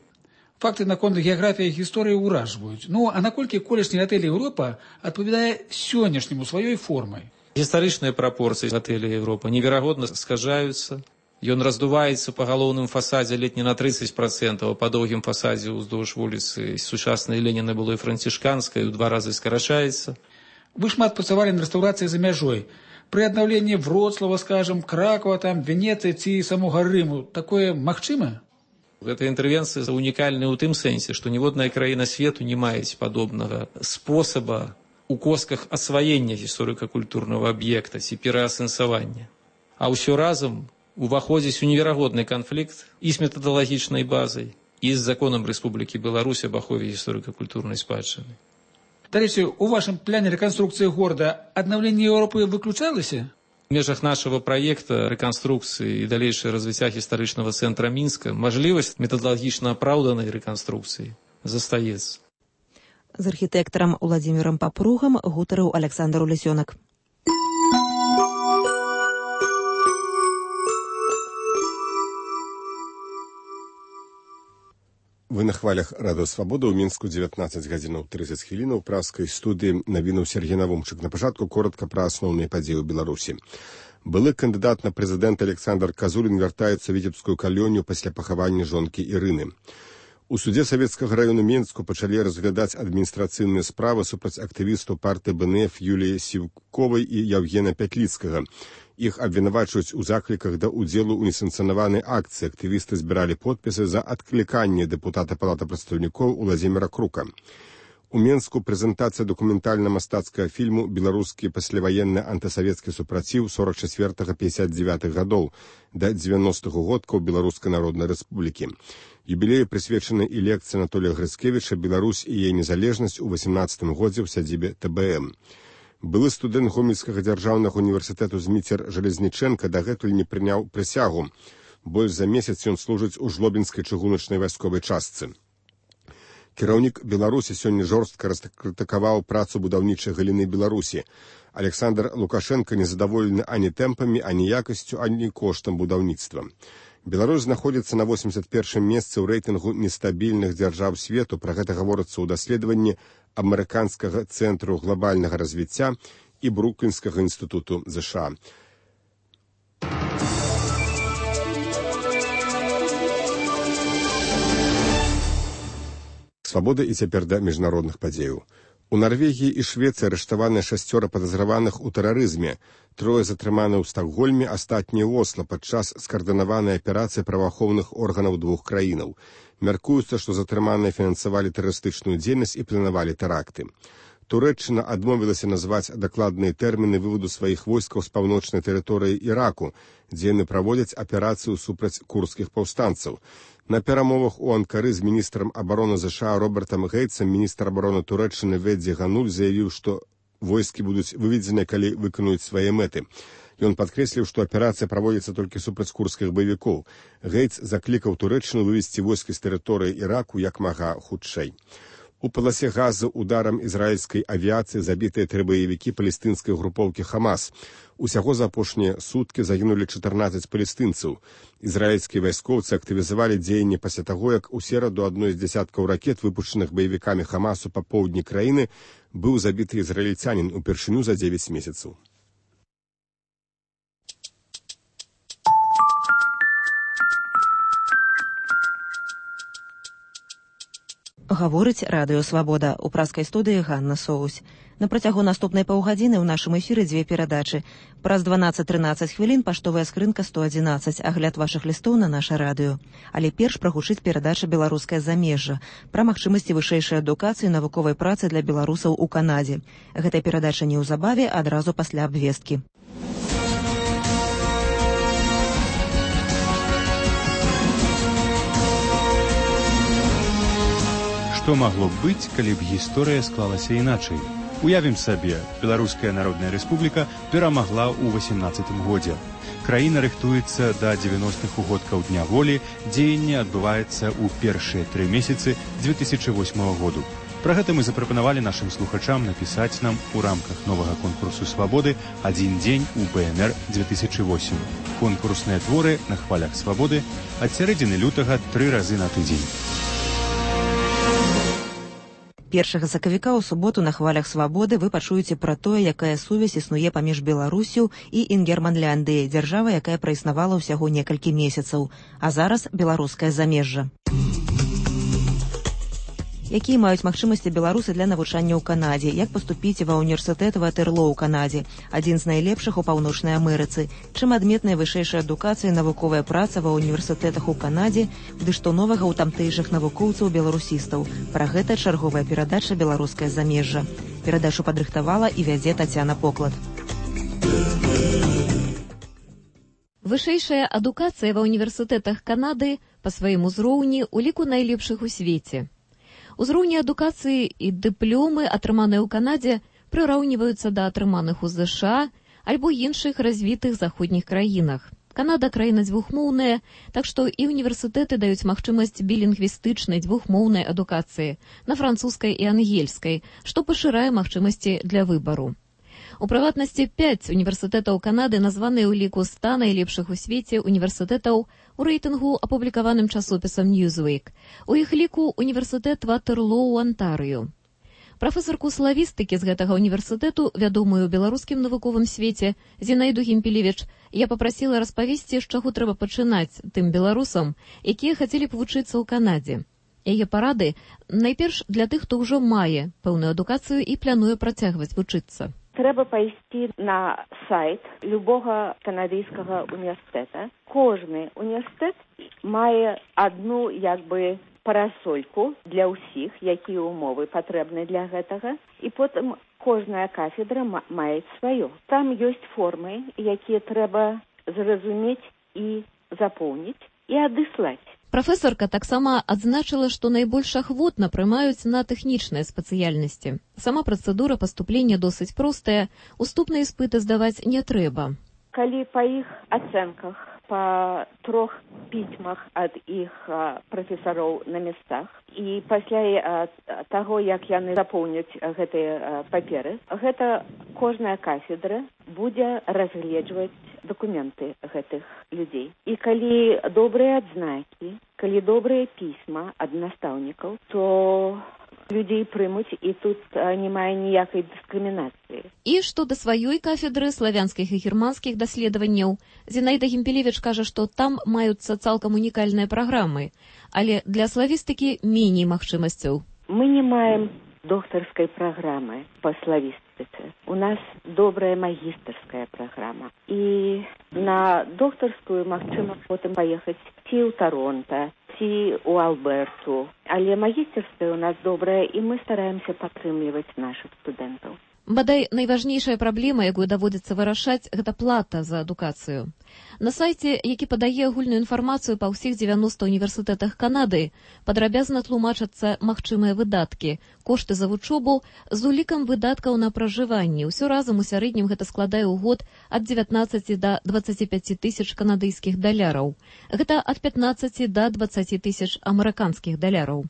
Факты наконт геаграфіі і гісторыі ўражваюць. Ну, а наколькі колішні гатэль Еўропа адпавядае сённяшняму сваёй формай? Гістарычныя прапорцыі гатэлі Еўропа неверагодна скажаюцца. Ён раздуваецца па галоўным фасадзе ледь не на 30%, а па доўгім фасадзе ўздоўж вуліцы сучаснай Леніна было і францішканскай, у 2 разы скарачаецца. Вы шмат працавалі на рэстаўрацыі за мяжой. Пры аднаўленні Вроцлава, скажам, Кракова, там, Венецыі ці самога Рыму, такое магчыма? Гэта інтэрвенцыя унікальная ў тым сэнсе, што ніводная краіна свету не маюць падобнага спосаба у косках асваення гісторыка-культурнага аб'екта ці пераасэнсавання. А ўсё разам уваходзіць у неверагодны канфлікт і з метадалагічнай базай, і з законам Рэспублікі Беларусь об ахове гісторыка-культурнай спадчыны. Дарэчы, у вашым пляне рэканструкцыі горада аднаўленне Еўропы выключалася? В межах нашего проекта рэканструкцыі і далейшае развіцця гістарычнага цэнтра Мінска мажлівасць метадалагічна апраўданай рэканструкцыі застаецца. З архітэктарам Уладзімірам Папругам гутарыў Александр Улесёнак. Вы на хвалях Радыё Свабода. У Мінску 19 гадзінаў 30 хвілінаў. Празкай студыі навінуў Сергей Навумчык. На пачатку коротка пра асноўныя падзеі ў Беларусі. Былы кандыдат на прэзідэнта Александр Казулін вяртаецца ў віцебскую калонію пасля пахавання жонкі Ірыны. У судзе Савецкага раёну Мінску пачалі разглядаць адміністрацыйныя справы супраць актывістаў партыі БНФ Юліі Сіўковай і Яўгена Пятліцкага. Іх абвінавачваюць у закліках да ўдзелу ў несанкцыянаванай акцыі. Актывісты збіралі подпісы за адкліканне дэпутата Палаты прадстаўнікоў Уладзіміра Крука. У Мінску прэзентацыя дакументальна-мастацкага фільму «Беларускі пасляваенны антысавецкі супраціў 44-59 гадоў да 90-х годкаў Беларускай Народнай Рэспублікі». Юбілею прысвечаны і лекцыя Анатолія Грыцкевіча «Беларусь і яе незалежнасць» у 18 годзе ў сядзібе ТБМ. Былы студэнт Гомельскага дзяржаўнага універсітэту Зміцер Жалезнічэнка дагэтуль не прыняў прысягу. Больш за месяц ён служыць у жлобінскай чыгуначнай вайсковай частцы. Кіраўнік Беларусі сёння жорстка раскрытыкаваў працу будаўнічай галіны Беларусі. Александр Лукашенко незадаволены ані тэмпамі, ані якасцю, ані коштам будаўніцтва. Беларусь знаходзіцца на 81-м месцы ў рэйтынгу нестабільных дзяржаў свету. Пра гэта гаворыцца ў даследаванні Амерыканскага цэнтру глобальнага развіцця і Бруклінскага інстытуту ЗША. Свабода і цяпер да міжнародных падзеяў. У Нарвегіі і Швецыі арыштаваны 6 падазраваных у тэрарызме. 3 затрыманы ў Стакгольме, астатнія ў Осла падчас скаардынаванай аперацыі праваахоўных органаў 2 краінаў. Мяркуецца, што затрыманыя фінансавалі тэрарыстычную дзейнасць і планавалі тэракты. Турэччына адмовілася назваць дакладныя тэрміны выводу сваіх войскаў з паўночнай тэрыторыі Іраку, дзе яны праводзяць аперацыю супраць курдскіх паўстанцаў. На перамовах у Анкары з міністрам абароны ЗША Робертам Гейтсам міністр абароны Турэччыны Ведзі Гануль заявіў, што войскі будуць выведзеныя, калі выканаюць свае мэты. Ён падкрэсліў, што аперацыя праводзіцца толькі супраць курдскіх баевікоў. Гейтс заклікаў Турэччыну вывесці войскі з тэрыторыі Іраку як мага хутчэй. У паласе Газы ударам ізраільскай авіяцыі забітыя 3 баевікі палестынскай групоўкі Хамас. Усяго за апошнія суткі загінулі 14 палестынцаў. Ізраільскія вайскоўцы актывізавалі дзеянні пасля таго, як у сераду адной з дзясяткаў ракет, выпушчаных баевікамі Хамасу па поўдні краіны, быў забіты ізраільцянін упершыню за 9 месяцаў. Гаворыць Радыё Свабода. У празкай студыі Ганна Соусь. На працягу наступнай паўгадзіны ў нашым эфіры 2 перадачы. Праз 12-13 хвілін паштовая скрынка 111, агляд вашых лістоў на наша радыё. Але перш прагучыць перадача «Беларускае замежжа» пра магчымасці вышэйшай адукацыі навуковай працы для беларусаў у Канадзе. Гэтая перадача неўзабаве, адразу пасля абвесткі. Што магло б быць, калі б гісторыя склалася іначай? Уявім сабе, Беларуская Народная Рэспубліка перамагла ў 18 годзе. Краіна рыхтуецца да 90-х угодкаў Дня волі, дзеянне адбываецца ў першыя 3 месяцы 2008 году. Пра гэта мы запрапанавалі нашым слухачам напісаць нам у рамках новага конкурсу «Свабоды» «Адзін дзень у БНР-2008». Конкурсныя творы на хвалях «Свабоды» ад сярэдзіны лютага 3 разы на тыдзень. 1 сакавіка ў суботу на хвалях «Свабоды» вы пачуеце пра тое, якая сувязь існуе паміж Беларусю і Інгерманляндыяй, дзяржава, якая праіснавала ўсяго некалькі месяцаў. А зараз беларускае замежжа. Якія маюць магчымасці беларусы для навучання ў Канадзе? Як паступіць ва ўніверсітэт Ватерлоо ў Канадзе? Адзін з найлепшых у Паўночнай Амерыцы. Чым адметная вышэйшая адукацыя і навуковая праца ва ўніверсітэтах у Канадзе? Ды што новага ў тамтэйшых навукоўцаў-беларусістаў? Пра гэта чарговая перадача «Беларускае замежжа». Перадачу падрыхтавала і вядзе Тацяна Поклад. Вышэйшая адукацыя ва ўніверсітэтах Канады па сваім узроўні ў ліку найлепшых у свеце. Узроўні адукацыі і дыпломы, атрыманыя ў Канадзе, прыраўніваюцца да атрыманых у ЗША альбо іншых развітых заходніх краінах. Канада краіна дзвюхмоўная, так што і універсітэты даюць магчымасць білінгвістычнай дзвюхмоўнай адукацыі на французскай і ангельскай, што пашырае магчымасці для выбару. У прыватнасці 5 універсітэтаў Канады названыя ў ліку 100 найлепшых у свеце універсітэтаў у рэйтынгу, апублікаваным часопісам Newsweek. У іх ліку універсітэт Ватерлоо ў Антарыю. Прафесарку славістыкі з гэтага універсітэту, вядомую ў беларускім навуковым свеце, Зінаіду Гімпелевіч, я папрасіла распавесці, з чаго трэба пачынаць тым беларусам, якія хацелі б вучыцца ў Канадзе. Яе парады найперш для тых, хто ўжо мае пэўную адукацыю і плануе працягваць вучыцца. Трэба пайсці на сайт любога канадыйскага універсітэта. Кожны універсітэт мае адну парасольку для ўсіх, якія ўмовы патрэбны для гэтага, і потым кожная кафедра мае сваё. Там ёсць формы, якія трэба зразумець і запоўніць і адыслаць. Прафесарка таксама адзначыла, што найбольш ахвотна прымаюць на тэхнічныя спецыяльнасці. Сама працэдура паступлення досыць простая, уступныя іспыты здаваць не трэба. Калі па іх ацэнках, па 3 пісьмах ад іх прафесароў на месцах, і пасля таго, як яны запоўняць гэтыя паперы, гэта кожная кафедра будзе разгледжваць дакументы гэтых людзей. І калі добрыя адзнакі, калі добрыя пісьма ад настаўнікаў, то людзей прымуць, і тут немає ніякай дыскрымінацыі. І што да сваёй кафедры славянскіх і германскіх даследаванняў, Зінаіда Гімпелевіч кажа, што там маюцца цалкам унікальныя праграмы, але для славістыкі меней магчымасцяў. Мы не маем доктарскай праграмы па славістыцы. У нас добрая магістарская праграма. І на доктарскую магчыма потым паехаць ці ў Таронта, ці ў Алберту. Але магістарская у нас добрая, і мы стараемся падтрымліваць нашых студэнтаў. Бадай, найважнейшая праблема, якую даводзіцца вырашаць, гэта плата за адукацыю. На сайце, які падае агульную інфармацыю па ўсіх 90 універсітэтах Канады, падрабязна тлумачацца магчымыя выдаткі, кошты за вучобу з улікам выдаткаў на пражыванне. Усё разам у сярэднім гэта складае ў год ад 19 да 25 тысяч канадыйскіх даляраў. Гэта ад 15 да 20 тысяч амерыканскіх даляраў.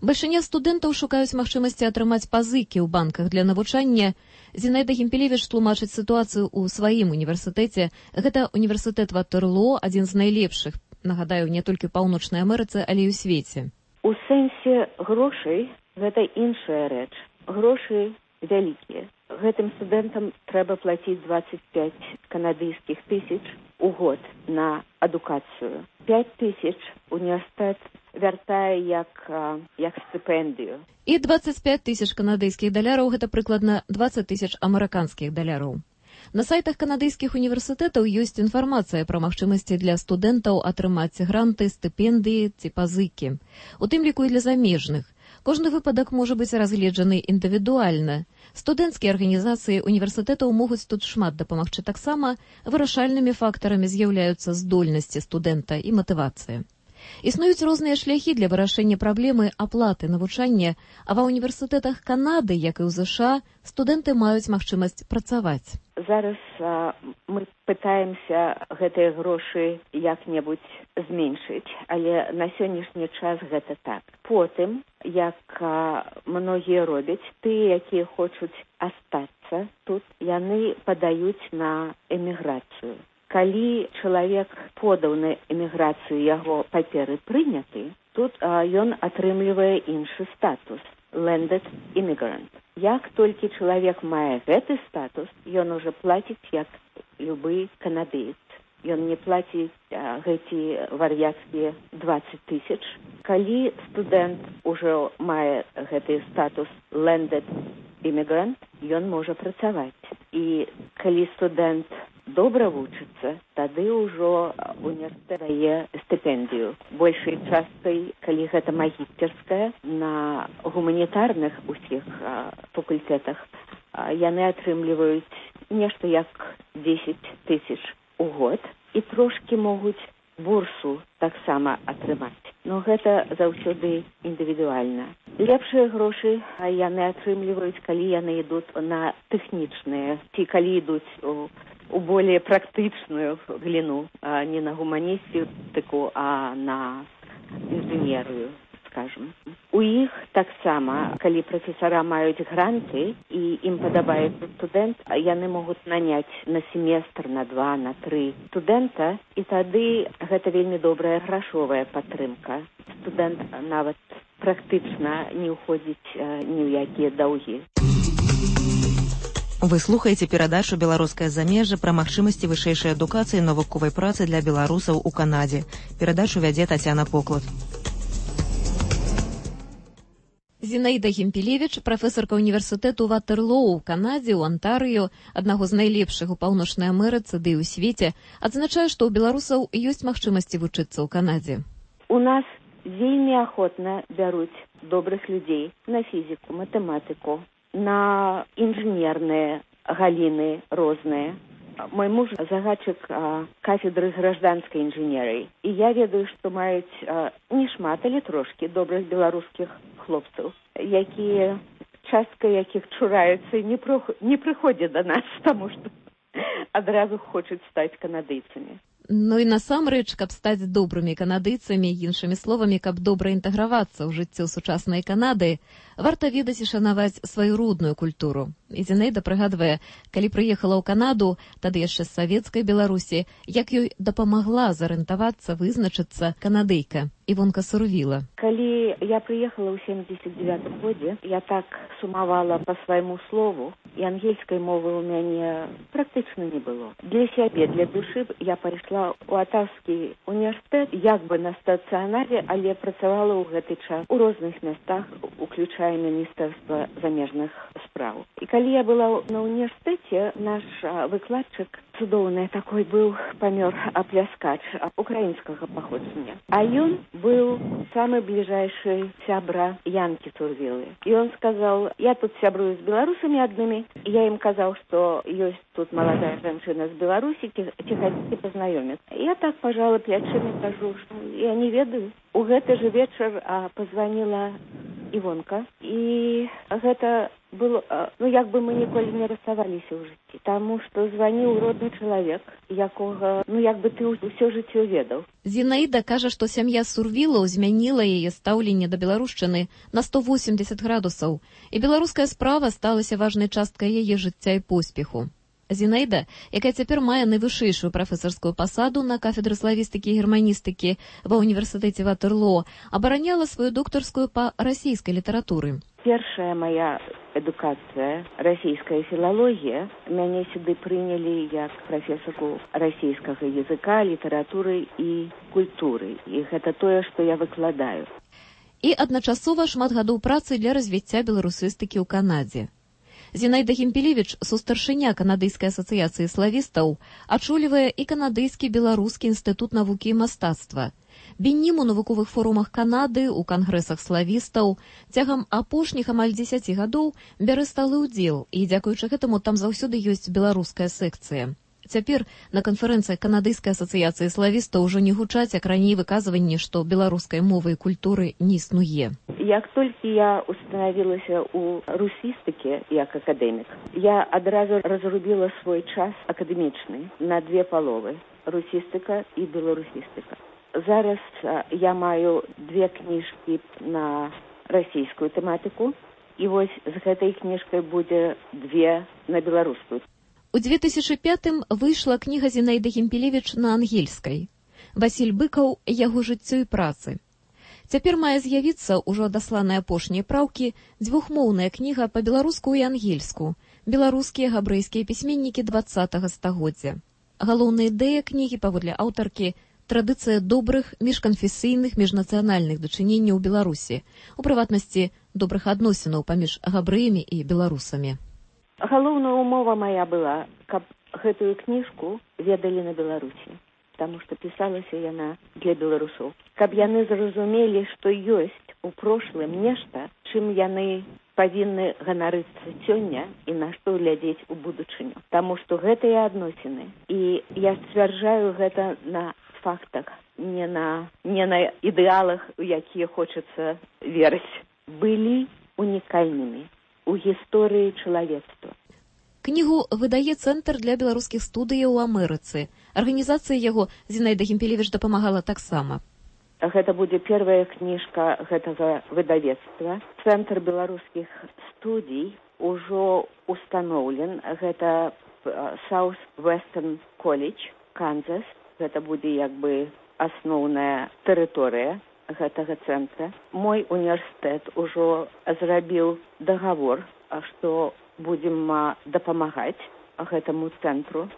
Бальшыня студэнтаў шукаюць магчымасці атрымаць пазыкі ў банках для навучання. Зінаіда Гімпелевіч тлумачыць сітуацыю ў сваім універсітэце. Гэта універсітэт Ватерлоо, адзін з найлепшых, нагадаю, не толькі ў Паўночнай Амерыцы, але і ў свеце. У сэнсе грошай гэта іншая рэч. Грошы вялікія. Гэтым студэнтам трэба плаціць 25 канадыйскіх тысяч у год на адукацыю. 5 тысяч універсітэт вяртае як стыпендыю. І 25 тысяч канадыйскіх даляраў – гэта прыкладна 20 тысяч амерыканскіх даляраў. На сайтах канадыйскіх універсітэтаў ёсць інфармацыя пра магчымасці для студэнтаў атрымаць гранты, стыпендыі ці пазыкі. У тым ліку і для замежных. Кожны выпадак можа быць разгледжаны індывідуальна. Студэнцкія арганізацыі універсітэтаў могуць тут шмат дапамагчы. Таксама вырашальнымі фактарамі з'яўляюцца здольнасці студэнта і матывацыя. Існуюць розныя шляхі для вырашэння праблемы аплаты навучання, а ва ўніверсітэтах Канады, як і ў ЗША, студэнты маюць магчымасць працаваць. зараз мы пытаемся гэтыя грошы як-небудзь зменшыць, але на сённяшні час гэта так. Потым, як многія робяць, тыя, якія хочуць астацца тут, яны падаюць на эміграцыю. Калі чалавек подаў на эміграцыю, яго паперы прыняты, тут ён атрымлівае іншы статус – landed immigrant. Як толькі чалавек мае гэты статус, ён уже плаціць як любы канадыец. Ён не плаціць гэты вар'яцкія 20 тысяч. Калі студэнт ужо мае гэты статус landed immigrant, ён можа працаваць. І калі студэнт добра вучыцца, тады ўжо універсітэт дае стыпендыю. Большай часткай, калі гэта магістэрская, на гуманітарных усіх факультэтах яны атрымліваюць нешта як 10 тысяч у год і трошкі могуць бурсу таксама атрымаць. Но гэта заўсёды індывідуальна. Лепшыя грошы яны атрымліваюць, калі яны ідуць на тэхнічныя, ці калі ідуць у более практычную глину, не на гуманістыку, а на інжынерыю, скажем. У іх таксама, калі прафесара маюць гранты і ім падабаецца студэнт, яны могуць наняць на семестр, на 2, на 3 студэнта, і тады гэта вельмі добрая грашовая падтрымка. Студэнт нават практычна не ўходзіць ні ў якія даўгі. Вы слухаеце перадачу «Беларускае замежжа» пра магчымасці вышэйшай адукацыі і навуковай працы для беларусаў у Канадзе. Перадачу вядзе Тацяна Поклад. Зінаіда Гімпелевіч, прафесарка універсітэту Ватерлоу у Канадзе, у Антарыё, аднаго з найлепшых у Паўночнай Амерыцы ды і ў свеце, адзначае, што ў беларусаў ёсць магчымасці вучыцца ў Канадзе. У нас вельмі ахвотна бяруць добрых людзей на фізіку, матэматыку, на інжынерныя галіны розныя. Мой муж загадчык кафедры гражданскай інжынерыі. І я ведаю, што маюць не шмат, але трошкі добрых беларускіх хлопцаў, якія, частка якіх чураюцца і не прыходзяць да нас, таму што адразу хочуць стаць канадыйцамі. Ну і насамрэч, каб стаць добрымі канадыйцамі, іншымі словамі, каб добра інтэгравацца ў жыццё сучаснай Канады, варта ведаць і шанаваць сваю родную культуру. І Зінаіда прыгадвае, калі прыехала ў Канаду, тады яшчэ з савецкай Беларусі, як ёй дапамагла зарыентавацца, вызначыцца канадыйка Івонка Сурвіла. Калі я прыехала ў 79-м годзе, я так сумавала па свайму слову, і ангельскай мовы ў мяне практычна не было. Для сябе, для душы я пайшла ў Атаўскі універсітэт, як бы на стацыянарі, але працавала ў гэты час у розных мястах, уключая Міністэрства замежных спраў. І калі я была на універсітэце, наш выкладчык цудоўны такой быў, памёр апляскач украінскага паходжання. А ён быў самы бліжэйшы сябра Янкі Сурвілы. І он сказал, я тут сябрую з беларусамі аднымі. Я ім казаў, што ёсць тут маладая жанчына з Беларусі, ці хацеце пазнаёміцца. Я так пажала плячымі, кажу, што я не ведаю. У гэты же вечар позвонила Івонка, і гэта было, як бы мы ніколі не расставаліся ў жыцці, таму што званіў родны чалавек, якога, як бы ты ўсё жыццё ведаў. Зінаіда кажа, што сям'я Сурвілаў змяніла яе стаўленне да беларушчыны на 180 градусаў, і беларуская справа сталася важнай часткай яе жыцця і поспеху. Зінаіда, якая цяпер мае найвышэйшую прафесарскую пасаду на кафедры славістыкі і германістыкі ва ўніверсітэце Ватерлоо, абараняла сваю доктарскую па расійскай літаратуры. Першая моя адукацыя, расійская філалогія, мяне сюды прынялі як прафесарку расійскага языка, літаратуры і культуры. І гэта тое, што я выкладаю. І адначасова шмат гадоў працы для развіцця беларусістыкі ў Канадзе. Зінаіда Гімпелевіч, сустаршыня Канадыйскай асацыяцыі славістаў, ачолівае і Канадыйскі беларускі інстытут навукі і мастацтва. Беннім у навуковых форумах Канады, у кангрэсах славістаў, цягам апошніх амаль 10 гадоў бярэ сталы ўдзел, і дзякуючы гэтаму там заўсёды ёсць беларуская секцыя. Цяпер на канферэнцыі канадыйскай асацыяцыі славістаў ужо не гучаць, як раней выказванні, што беларускай мовы і культуры не існуе. Як толькі я установілася ў русістыкі як акадэмік, я адразу разрубіла свой час акадэмічны на две паловы – русістыка і беларусістыка. Зараз я маю две кніжкі на расійскую тэматыку, і вось з гэтай кніжкай будзе две на беларускую. У 2005-м выйшла кніга Зінаіды Гімпелевіч на ангельскай. Васіль Быкаў «Яго жыццё і працы». Цяпер мае з'явіцца ўжо адасланыя апошнія праўкі дзвюхмоўная кніга па-беларуску і ангельску «Беларускія габрэйскія пісьменнікі 20-го стагоддзя». Галоўная ідэя кнігі, паводле аўтаркі, традыцыя добрых міжканфесійных міжнацыянальных дачыненняў у Беларусі, у прыватнасці добрых адносінаў паміж габрэямі і беларусамі. Галоўная умова моя была, каб гэтую кніжку ведалі на Беларусі, таму што пісалася яна для беларусоў. Каб яны зразумелі, што ёсць у прошлым нешта, чым яны павінны ганарыцца сёння і на што глядзець у будучыню. Таму што гэтыя адносіны, і я сцвярджаю гэта на фактах, не на ідэалах, у якія хочацца верыць, былі унікальнымі у гісторыі чалавецтва. Кнігу выдае Цэнтр для беларускіх студыяў у Амерыцы. Арганізацыі яго Зінаіда Гімпелевіч дапамагала таксама. Гэта будзе первая кніжка гэтага выдавецтва. Цэнтр беларускіх студій ужо установлен. Гэта South Western College, Канзас. Гэта будзе як бы асноўная тэрыторыя гэтага цэнтра. Мой універсітэт ужо зрабіў дагавор, што будзем дапамагаць гэтаму цэнтру.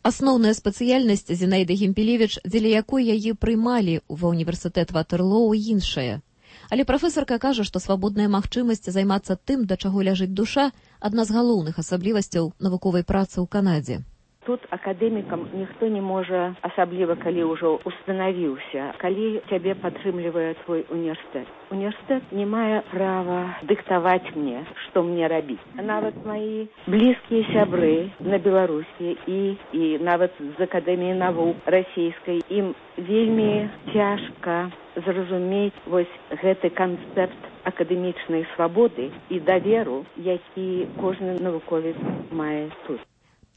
Асноўная спецыяльнасць Зінаіды Гімпелевіч, дзеля якой яе прымалі ва універсітэт Ватерлоу, іншая. Але прафесарка кажа, што свабодная магчымасць займацца тым, да чаго ляжыць душа, адна з галоўных асаблівасцяў навуковай працы ў Канадзе. Тут акадэмікам ніхто не можа, асабліва калі ўжо устанавіўся, калі цябе падтрымлівае твой універсітэт. Універсітэт не мае права дыктаваць мне, што мне рабіць. Нават мои блізкія сябры на Беларусі і нават з Акадэміі навук расійскай, ім вельмі цяжка зразумець вось гэты канцэпт акадэмічнай свабоды і даверу, які кожны навуковец мае тут.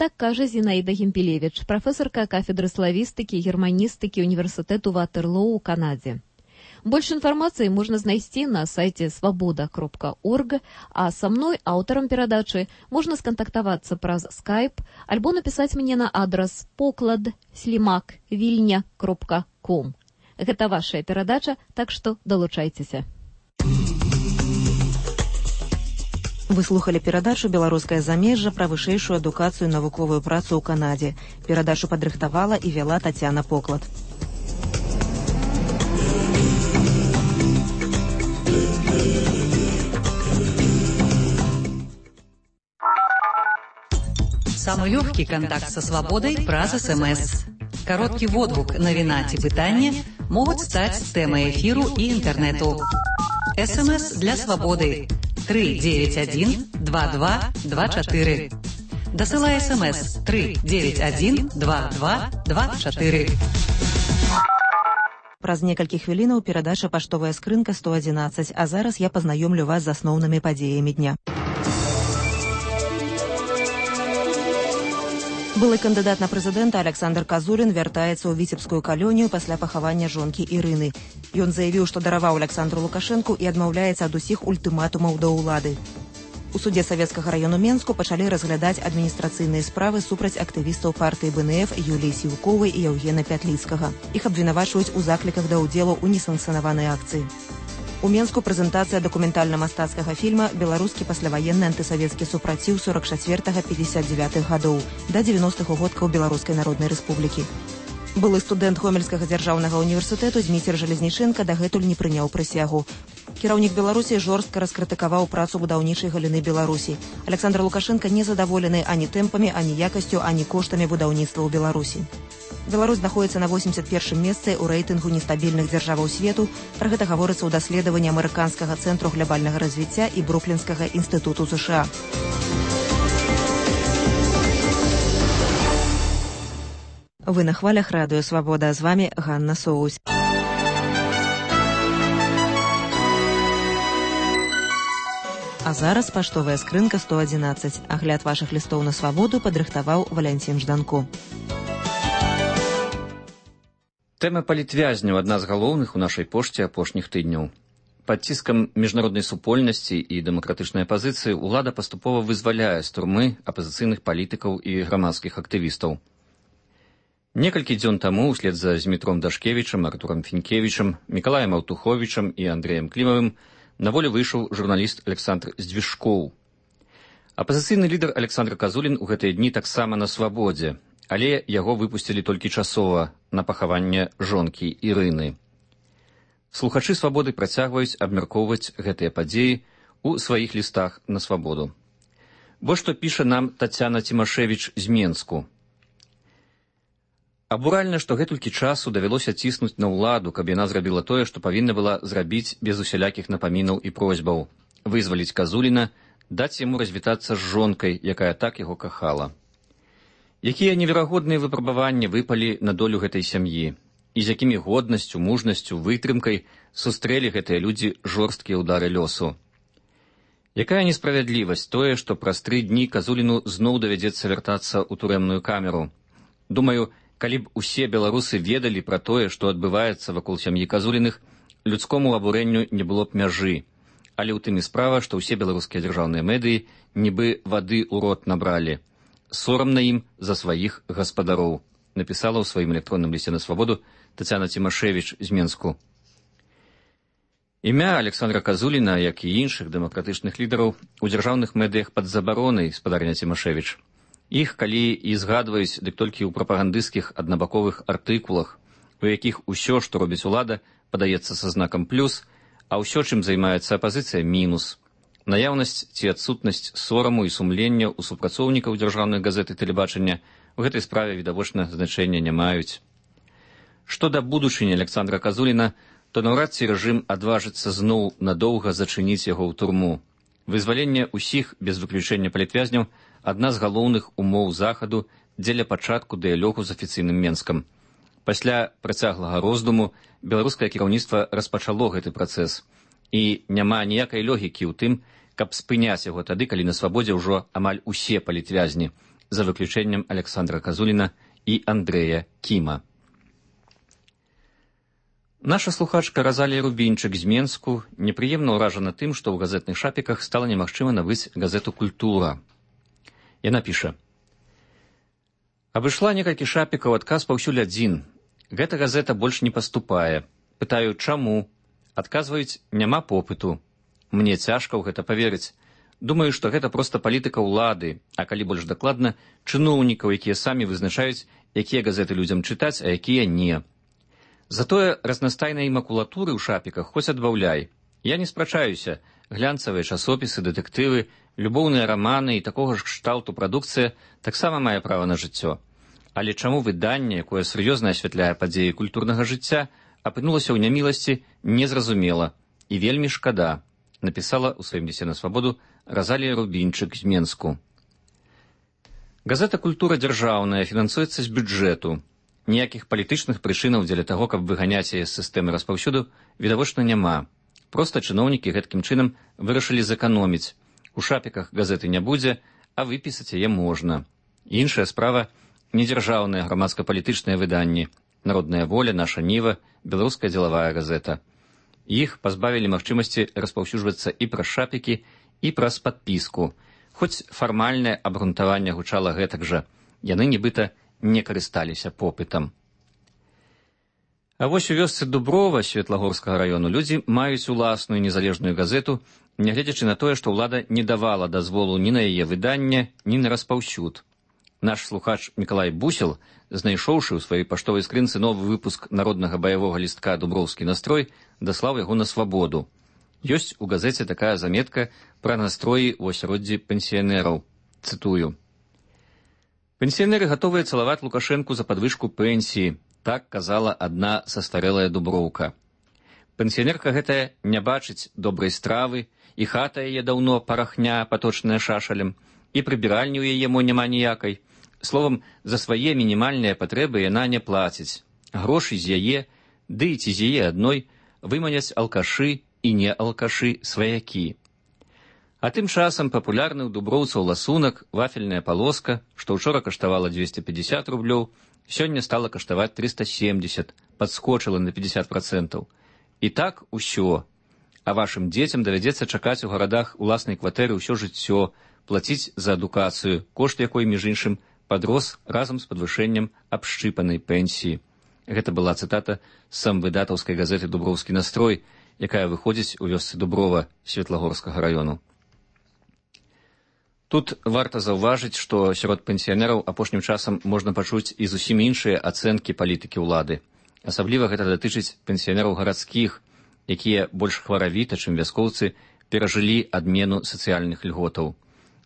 Так кажа Зінаіда Гімпелевіч, прафесарка кафедры славістыкі і германістыкі універсітэту Ватерлоу у Канадзе. Больш інфармацыі можна знайсці на сайце свабода.орг, а са мной, аўтарам перадачы, можна скантактавацца праз Skype альбо напісаць мне на адрас poklad@vilnya.com. Гэта вашая перадача, так што далучайцеся. Вы слухали перадачу «Беларускае замежжа» пра вышэйшую адукацыю і навуковую працу ў Канадзе. Перадачу падрыхтавала і вяла Тацяна Поклад. Самый легкий контакт со свободой праз СМС. Короткий водгук, навіна ці пытанне могуць стаць тэмай эфіру і інтэрнэту. СМС для свободы 391-2224. Дасылай СМС 391-2224. Праз некалькі хвілінаў перадача «Паштовая скрынка 111», а зараз я пазнаёмлю вас з асноўнымі падзеямі дня. Былы кандыдат на прэзідэнта Александр Казурин вяртаецца ў віцебскую калонію пасля пахавання жонкі Ірыны. Ён заявіў, што дараваў Александру Лукашэнку і адмаўляецца ад усіх ультыматумаў да ўлады. У судзе Савецкага району Менску пачалі разглядаць адміністрацыйныя справы супраць актывістаў партыі БНФ Юліі Сіўковай і Яўгена Пятліцкага. Іх абвінавачваюць у закліках да ўдзелу ў несанкцыянаванай акцыі. У Менску прэзентацыя дакументальна-мастацкага фільма «Беларускі пасляваенны антысавецкі супраціў 44-59 гадоў» да 90-х годкаў Беларускай Народнай Рэспублікі. Былы студэнт Гомельскага дзяржаўнага універсітэту Зміцер Жалезніченка дагэтуль не прыняў прысягу. Кіраўнік Беларусі жорстка раскрытыкаваў працу будаўнічай галіны Беларусі. Александр Лукашенко не задаволены ані тэмпамі, ані якасцю, ані коштамі будаўніцтва ў Беларусі. Беларусь знаходзіцца на 81-м месцы ў рэйтынгу нестабільных дзяржаваў свету. Пра гэта гаворыцца ў даследаванні амерыканскага цэнтру глябальнага развіцця і Бруклінскага інстытуту США. Вы на хвалях радыё Свабода, з вами Ганна Соусь. А зараз паштовая скрынка 111. Агляд вашых лістоў на свабоду падрыхтаваў Валянцін Жданко. Тэма палітвязняў адна з галоўных у нашай пошце апошніх тыдняў. Пад ціскам міжнароднай супольнасці і дэмакратычнай апазіцыі ўлада паступова вызваляе з турмы апазіцыйных палітыкаў і грамадскіх актывістаў. Некалькі дзён таму услед за Змітром Дашкевічам, Артурам Фінкевічам, Мікалаем Аўтуховічам і Андрэем Клімавым на волю выйшаў журналіст Александр Здвижкоў. Апазіцыйны лідар Александр Казулін у гэтыя дні таксама на свабодзе, але яго выпусцілі толькі часова на пахаванне жонкі Ірыны. Слухачы свабоды працягваюць абмяркоўваць гэтыя падзеі ў сваіх лістах на свабоду. Вось што піша нам Тацяна Цімашевіч з Менску. Абуральна, што гэтулькі часу давялося ціснуць на ўладу, каб яна зрабіла тое, што павінна была зрабіць без усялякіх напамінаў і просьбаў. Вызваліць Казуліна, даць яму развітацца з жонкай, якая так яго кахала. Якія неверагодныя выпрабаванні выпалі на долю гэтай сям'і, і з якімі годнасцю, мужнасцю, вытрымкай сустрэлі гэтыя людзі жорсткія ўдары лёсу. Якая несправядлівасць тое, што праз 3 дні Казуліну зноў давядзецца вяртацца ў турэмную камеру. Думаю, калі б усе беларусы ведалі пра тое, што адбываецца вакол сям'і Казуліных, людскому абурэнню не было б мяжы. Але ў тым і справа, што ўсе беларускія дзяржаўныя медыі нібы вады ў рот набралі. Сорамна ім за сваіх гаспадароў, напісала ў сваім электронным лісце на свабоду Тацяна Цімашевіч з Менску. Імя Александра Казуліна, як і іншых дэмакратычных лідараў, у дзяржаўных медыях пад забаронай, спадарня Цімашевіч. Іх, калі і згадваюць, дык толькі ў прапагандысцкіх аднабаковых артыкулах, у якіх усё, што робіць улада, падаецца са знакам плюс, а ўсё, чым займаецца апазіцыя, мінус. Наяўнасць ці адсутнасць сораму і сумлення ў супрацоўнікаў дзяржаўных газет і тэлебачання у гэтай справе відавочна значэння не маюць. Што да будучыні Александра Казуліна, то наўрад ці рэжым адважыцца зноў надоўга зачыніць яго ў турму. Вызваленне ўсіх, без выключэння палітвязняў, адна з галоўных умоў захаду дзеля пачатку дыялогу з афіцыйным Менскам. Пасля працяглага роздуму беларускае кіраўніцтва распачало гэты працэс, і няма ніякай логікі ў тым, каб спыняць яго тады, калі на свабодзе ўжо амаль усе палітвязні, за выключэннем Александра Казуліна і Андрэя Кіма. Наша слухачка Разалія Рубінчык з Менску непрыемна ўражана тым, што ў газетных шапіках стала немагчыма набыць газету «Культура». Яна піша. Абышла некалькі шапікаў, адказ паўсюль адзін. Гэта газета больш не паступае. Пытаю, чаму? Адказваюць, няма попыту. Мне цяжка ў гэта паверыць. Думаю, што гэта проста палітыка ўлады, а калі больш дакладна, чыноўнікаў, якія самі вызначаюць, якія газеты людзям чытаць, а якія не. Затое разнастайнай макулатуры ў шапіках хоць адбаўляй. Я не спрачаюся. Глянцавыя часопісы, дэтэктывы, любоўныя раманы і такога ж кшталту прадукцыя таксама мае права на жыццё. Але чаму выданне, якое сур'ёзна асвятляе падзеі культурнага жыцця, апынулася ў няміласці, незразумела і вельмі шкада, напісала ў сваім лісце на свабоду Разалія Рубінчык з Менску. Газета «Культура» дзяржаўная, фінансуецца з бюджэту. Ніякіх палітычных прычынаў дзеля таго, каб выганяць яе з сістэмы распаўсюду, відавочна няма. Проста чыноўнікі гэткім чынам вырашылі зэканоміць. У шапіках газеты не будзе, а выпісаць яе можна. Іншая справа – недзяржаўныя грамадска-палітычныя выданні. Народная воля, наша Ніва, беларуская дзелавая газета. Іх пазбавілі магчымасці распаўсюджвацца і праз шапікі, і праз падпіску. Хоць фармальнае абгрунтаванне гучала гэтак жа. Яны нібыта не карысталіся попытам. А вось у вёсцы Дуброва Светлагорскага раёну людзі маюць уласную незалежную газету, нягледзячы на тое, што ўлада не давала дазволу ні на яе выданне, ні на распаўсюд. Наш слухач Мікалай Бусел, знайшоўшы ў сваёй паштовай скрынцы новы выпуск народнага баявога лістка «Дуброўскі настрой», даслаў яго на свабоду. Ёсць у газеце такая заметка пра настроі ў асяроддзі пенсіянераў. Цытую. «Пенсіянеры гатовыя цалаваць Лукашэнку за падвышку пенсіі», так казала адна састарэлая дуброўка. Пенсіянерка гэтая не бачыць добрай стравы, і хата яе даўно парахня, паточная шашалем, і прыбіральні ў яе мо няма ніякай, Словам, за свае мінімальныя патрэбы яна не плаціць. Грошы з яе, ды і ці з яе адной, выманяць алкашы і не алкашы сваякі. А тым часам папулярны ў дуброўцаў ласунак, вафельная палоска, што ўчора каштавала 250 рублёў, сёння стала каштаваць 370, падскочыла на 50%. І так усё. А вашым дзецям давядзецца чакаць у гарадах уласнай кватэры ўсё жыццё, плаціць за адукацыю, кошт якой, між іншым, падрос разам з падвышэннем абшчыпанай пенсіі. Гэта была цытата з самвыдатаўскай газеты «Дуброўскі настрой», якая выходзіць у вёсцы Дуброва Светлагорскага раёну. Тут варта заўважыць, што сярод пенсіянераў апошнім часам можна пачуць і зусім іншыя ацэнкі палітыкі ўлады. Асабліва гэта датычыць пенсіянераў гарадскіх, якія больш хваравіта, чым вяскоўцы, перажылі адмену сацыяльных льготаў.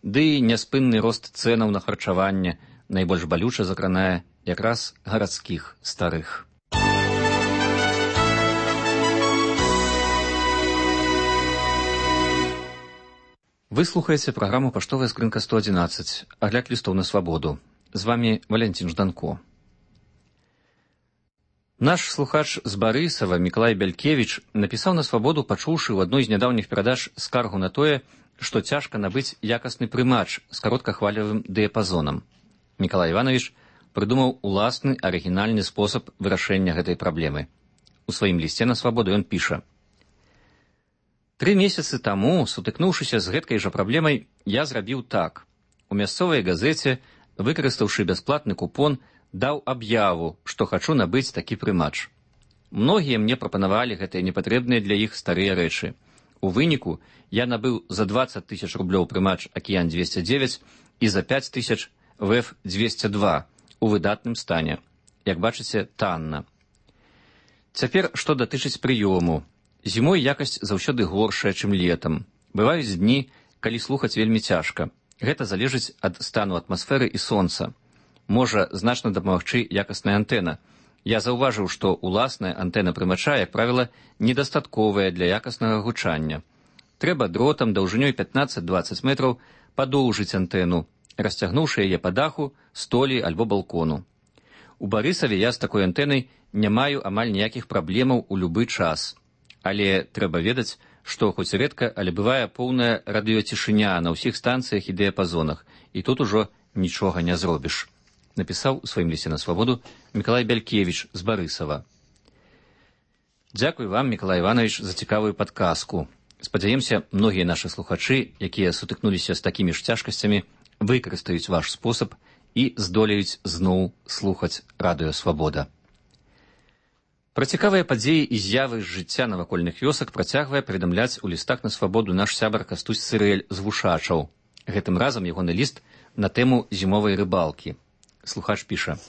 Ды і няспынны рост цэнаў на харчаванне найбольш балюча закранае якраз гарадскіх старых. Вы слухаеце праграму «Паштовая скрынка 111», агляд лістоў на свабоду. З вамі Валентин Жданко. Наш слухач з Барысава Мікалай Бялькевіч напісаў на свабоду, пачуўшы ў адной з нядаўніх перадач скаргу на тое, што цяжка набыць якасны прымач з кароткахвалевым дыяпазонам. Мікалай Іванович прыдумаў уласны арыгінальны спосаб вырашэння гэтай праблемы. У сваім лісце на свабоду ён піша: 3 месяцы таму, сутыкнуўшыся з гэткай жа праблемай, я зрабіў так. У мясцовай газеце, выкарыстаўшы бясплатны купон, даў аб'яву, што хачу набыць такі прымач. Многія мне прапанавалі гэтыя непатрэбныя для іх старыя рэчы. У выніку я набыў за 20 000 рублёў прымач «Акіян-209» і за 5 000 «ВЭФ-202» у выдатным стане. Як бачыце, танна. Цяпер, што датычыць прыёму. Зімой якасць заўсёды горшая, чым летам. Бываюць дні, калі слухаць вельмі цяжка. Гэта залежыць ад стану атмасферы і сонца. Можа значна дапамагчы якасная антэна. Я заўважыў, што уласная антэна прымача, як правіла, недастатковая для якаснага гучання. Трэба дротам даўжынёй 15-20 метраў падоўжыць антэну, расцягнуўшы яе па даху, столі альбо балкону. У Барысаве я з такой antэнай не маю амаль ніякіх праблемаў у любы час. Але трэба ведаць, што хоць рэдка, але бывае поўная радыёцішыня на ўсіх станцыях і дыяпазонах, і тут ужо нічога не зробіш. Напісаў у сваім лісце на свабоду Мікалай Бялькевіч з Барысава. Дзякуй вам, Мікалай Іванович, за цікавую падказку. Спадзяемся, многія нашы слухачы, якія сутыкнуліся з такімі ж цяжкасцямі, выкарыстаюць ваш спосаб і здолеюць зноў слухаць радыё «Свабода». Пра цікавыя падзеі і з'явы з жыцця навакольных вёсак працягвае паведамляць у лістах на свабоду наш сябар Кастусь Цырэль з Вушачаў. Гэтым разам ягоны ліст на тэму зімовай рыбалкі. Слухач піша: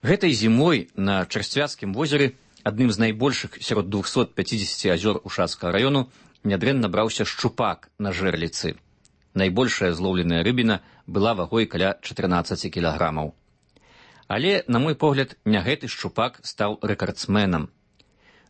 Гэтай зімой на Чарсцвяцкім возеры, адным з найбольшых сярод 250 азёр Ушацкага раёну, нядрэнна браўся шчупак на жэрліцы. Найбольшая злоўленая рыбіна была вагой каля 14 кілаграмаў. Але, на мой погляд, не гэты шчупак стаў рэкардсменам.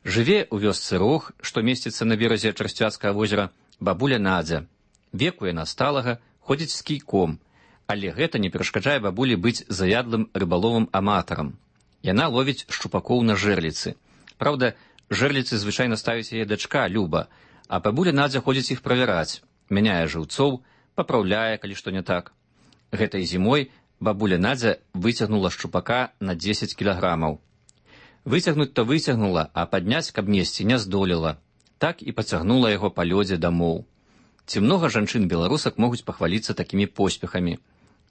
Жыве ў вёсцы Рог, што месціцца на беразе Чарсцвяцкага возера, бабуля Надзя. Веку яна сталага, ходзіць з кійком, але гэта не перашкаджае бабулі быць заядлым рыбаловым аматарам. Яна ловіць шчупакоў на жэрліцы. Праўда, жэрліцы звычайна ставіць яе дачка Люба, а бабуля Надзя ходзіць іх правяраць, мяняе жыўцоў, папраўляе, калі што не так. Гэтай зімой бабуля Надзя выцягнула шчупака на 10 кілаграмаў. Выцягнуць-то выцягнула, а падняць, каб несці, не здолела. Так і пацягнула яго па лёдзе дамоў. Ці многа жанчын-беларусак могуць пахваліцца такімі поспехамі.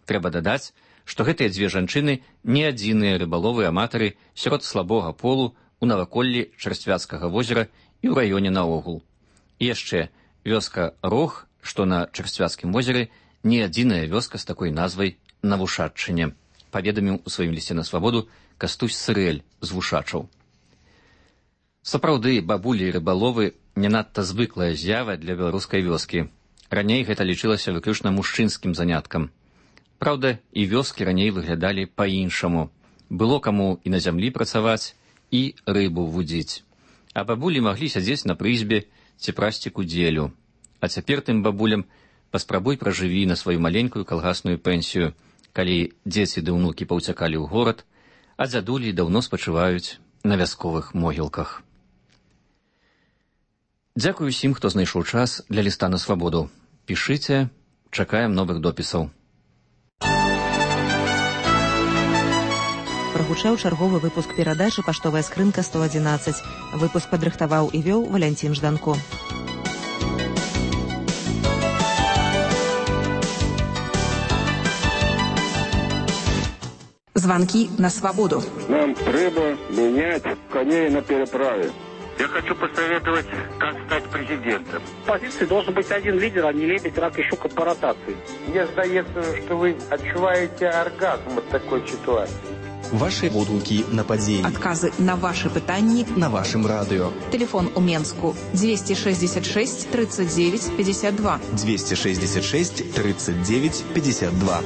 Трэба дадаць, што гэтыя дзве жанчыны не адзіныя рыбаловы-аматары сярод слабога полу у наваколлі Чарсцвяцкага возера і ў раёне наогул. І яшчэ, вёска Рог, што на Чарсцвяцкім возеры, не адзіная вёска з такой назвай на Вушаччыне, паведаміў у сваім лісце на свабоду Кастусь Цырэль з Вушачаў. Сапраўды, бабулі і рыбаловы не надта звыклая з'ява для беларускай вёскі. Раней гэта лічылася выключна мужчынскім заняткам. Праўда, і вёскі раней выглядалі па-іншаму. Было каму і на зямлі працаваць, і рыбу вудзіць. А бабулі маглі сядзець на прызбе ці прасці кудзелю. А цяпер тым бабулям Паспрабуй пражыві на сваю маленькую калгасную пенсію, калі дзеці ды ўнукі паўцякалі ў горад, а дзядулі даўно спачываюць на вясковых могілках. Дзякую усім, хто знайшоў час для ліста на свабоду. Пішыце, чакаем новых допісаў. Прагучаў чарговы выпуск перадачы «Паштовая скрынка 111». Выпуск падрыхтаваў і вёў Валянцін Жданко. Звонки на свободу. Нам треба менять коней на переправе. Я хочу посоветовать, как стать президентом. В позиции должен быть один лидер, а не лебедь, рак и щука по ротации. Мне сдается, что вы отчуваете оргазм от такой ситуации. Ваши водгуки на падзеі. Адказы на ваши пытанні на вашым радыё. Телефон у Менску 266 39 52. 266 39 52.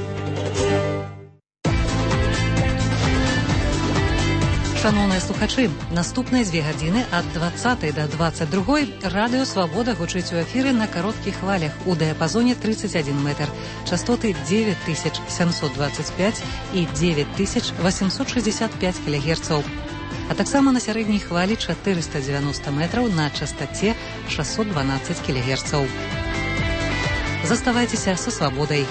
Шановныя слухачы, наступныя 2 гадзіны ад 20 до 22 радыё «Свабода» гучыць у эфіры на кароткіх хвалях у дыяпазоне 31 метр, частоты 9725 і 9865 кГц, а таксама на сярэдняй хвалі 490 метраў на частоце 612 кГц. Заставайцеся са «Свабодай».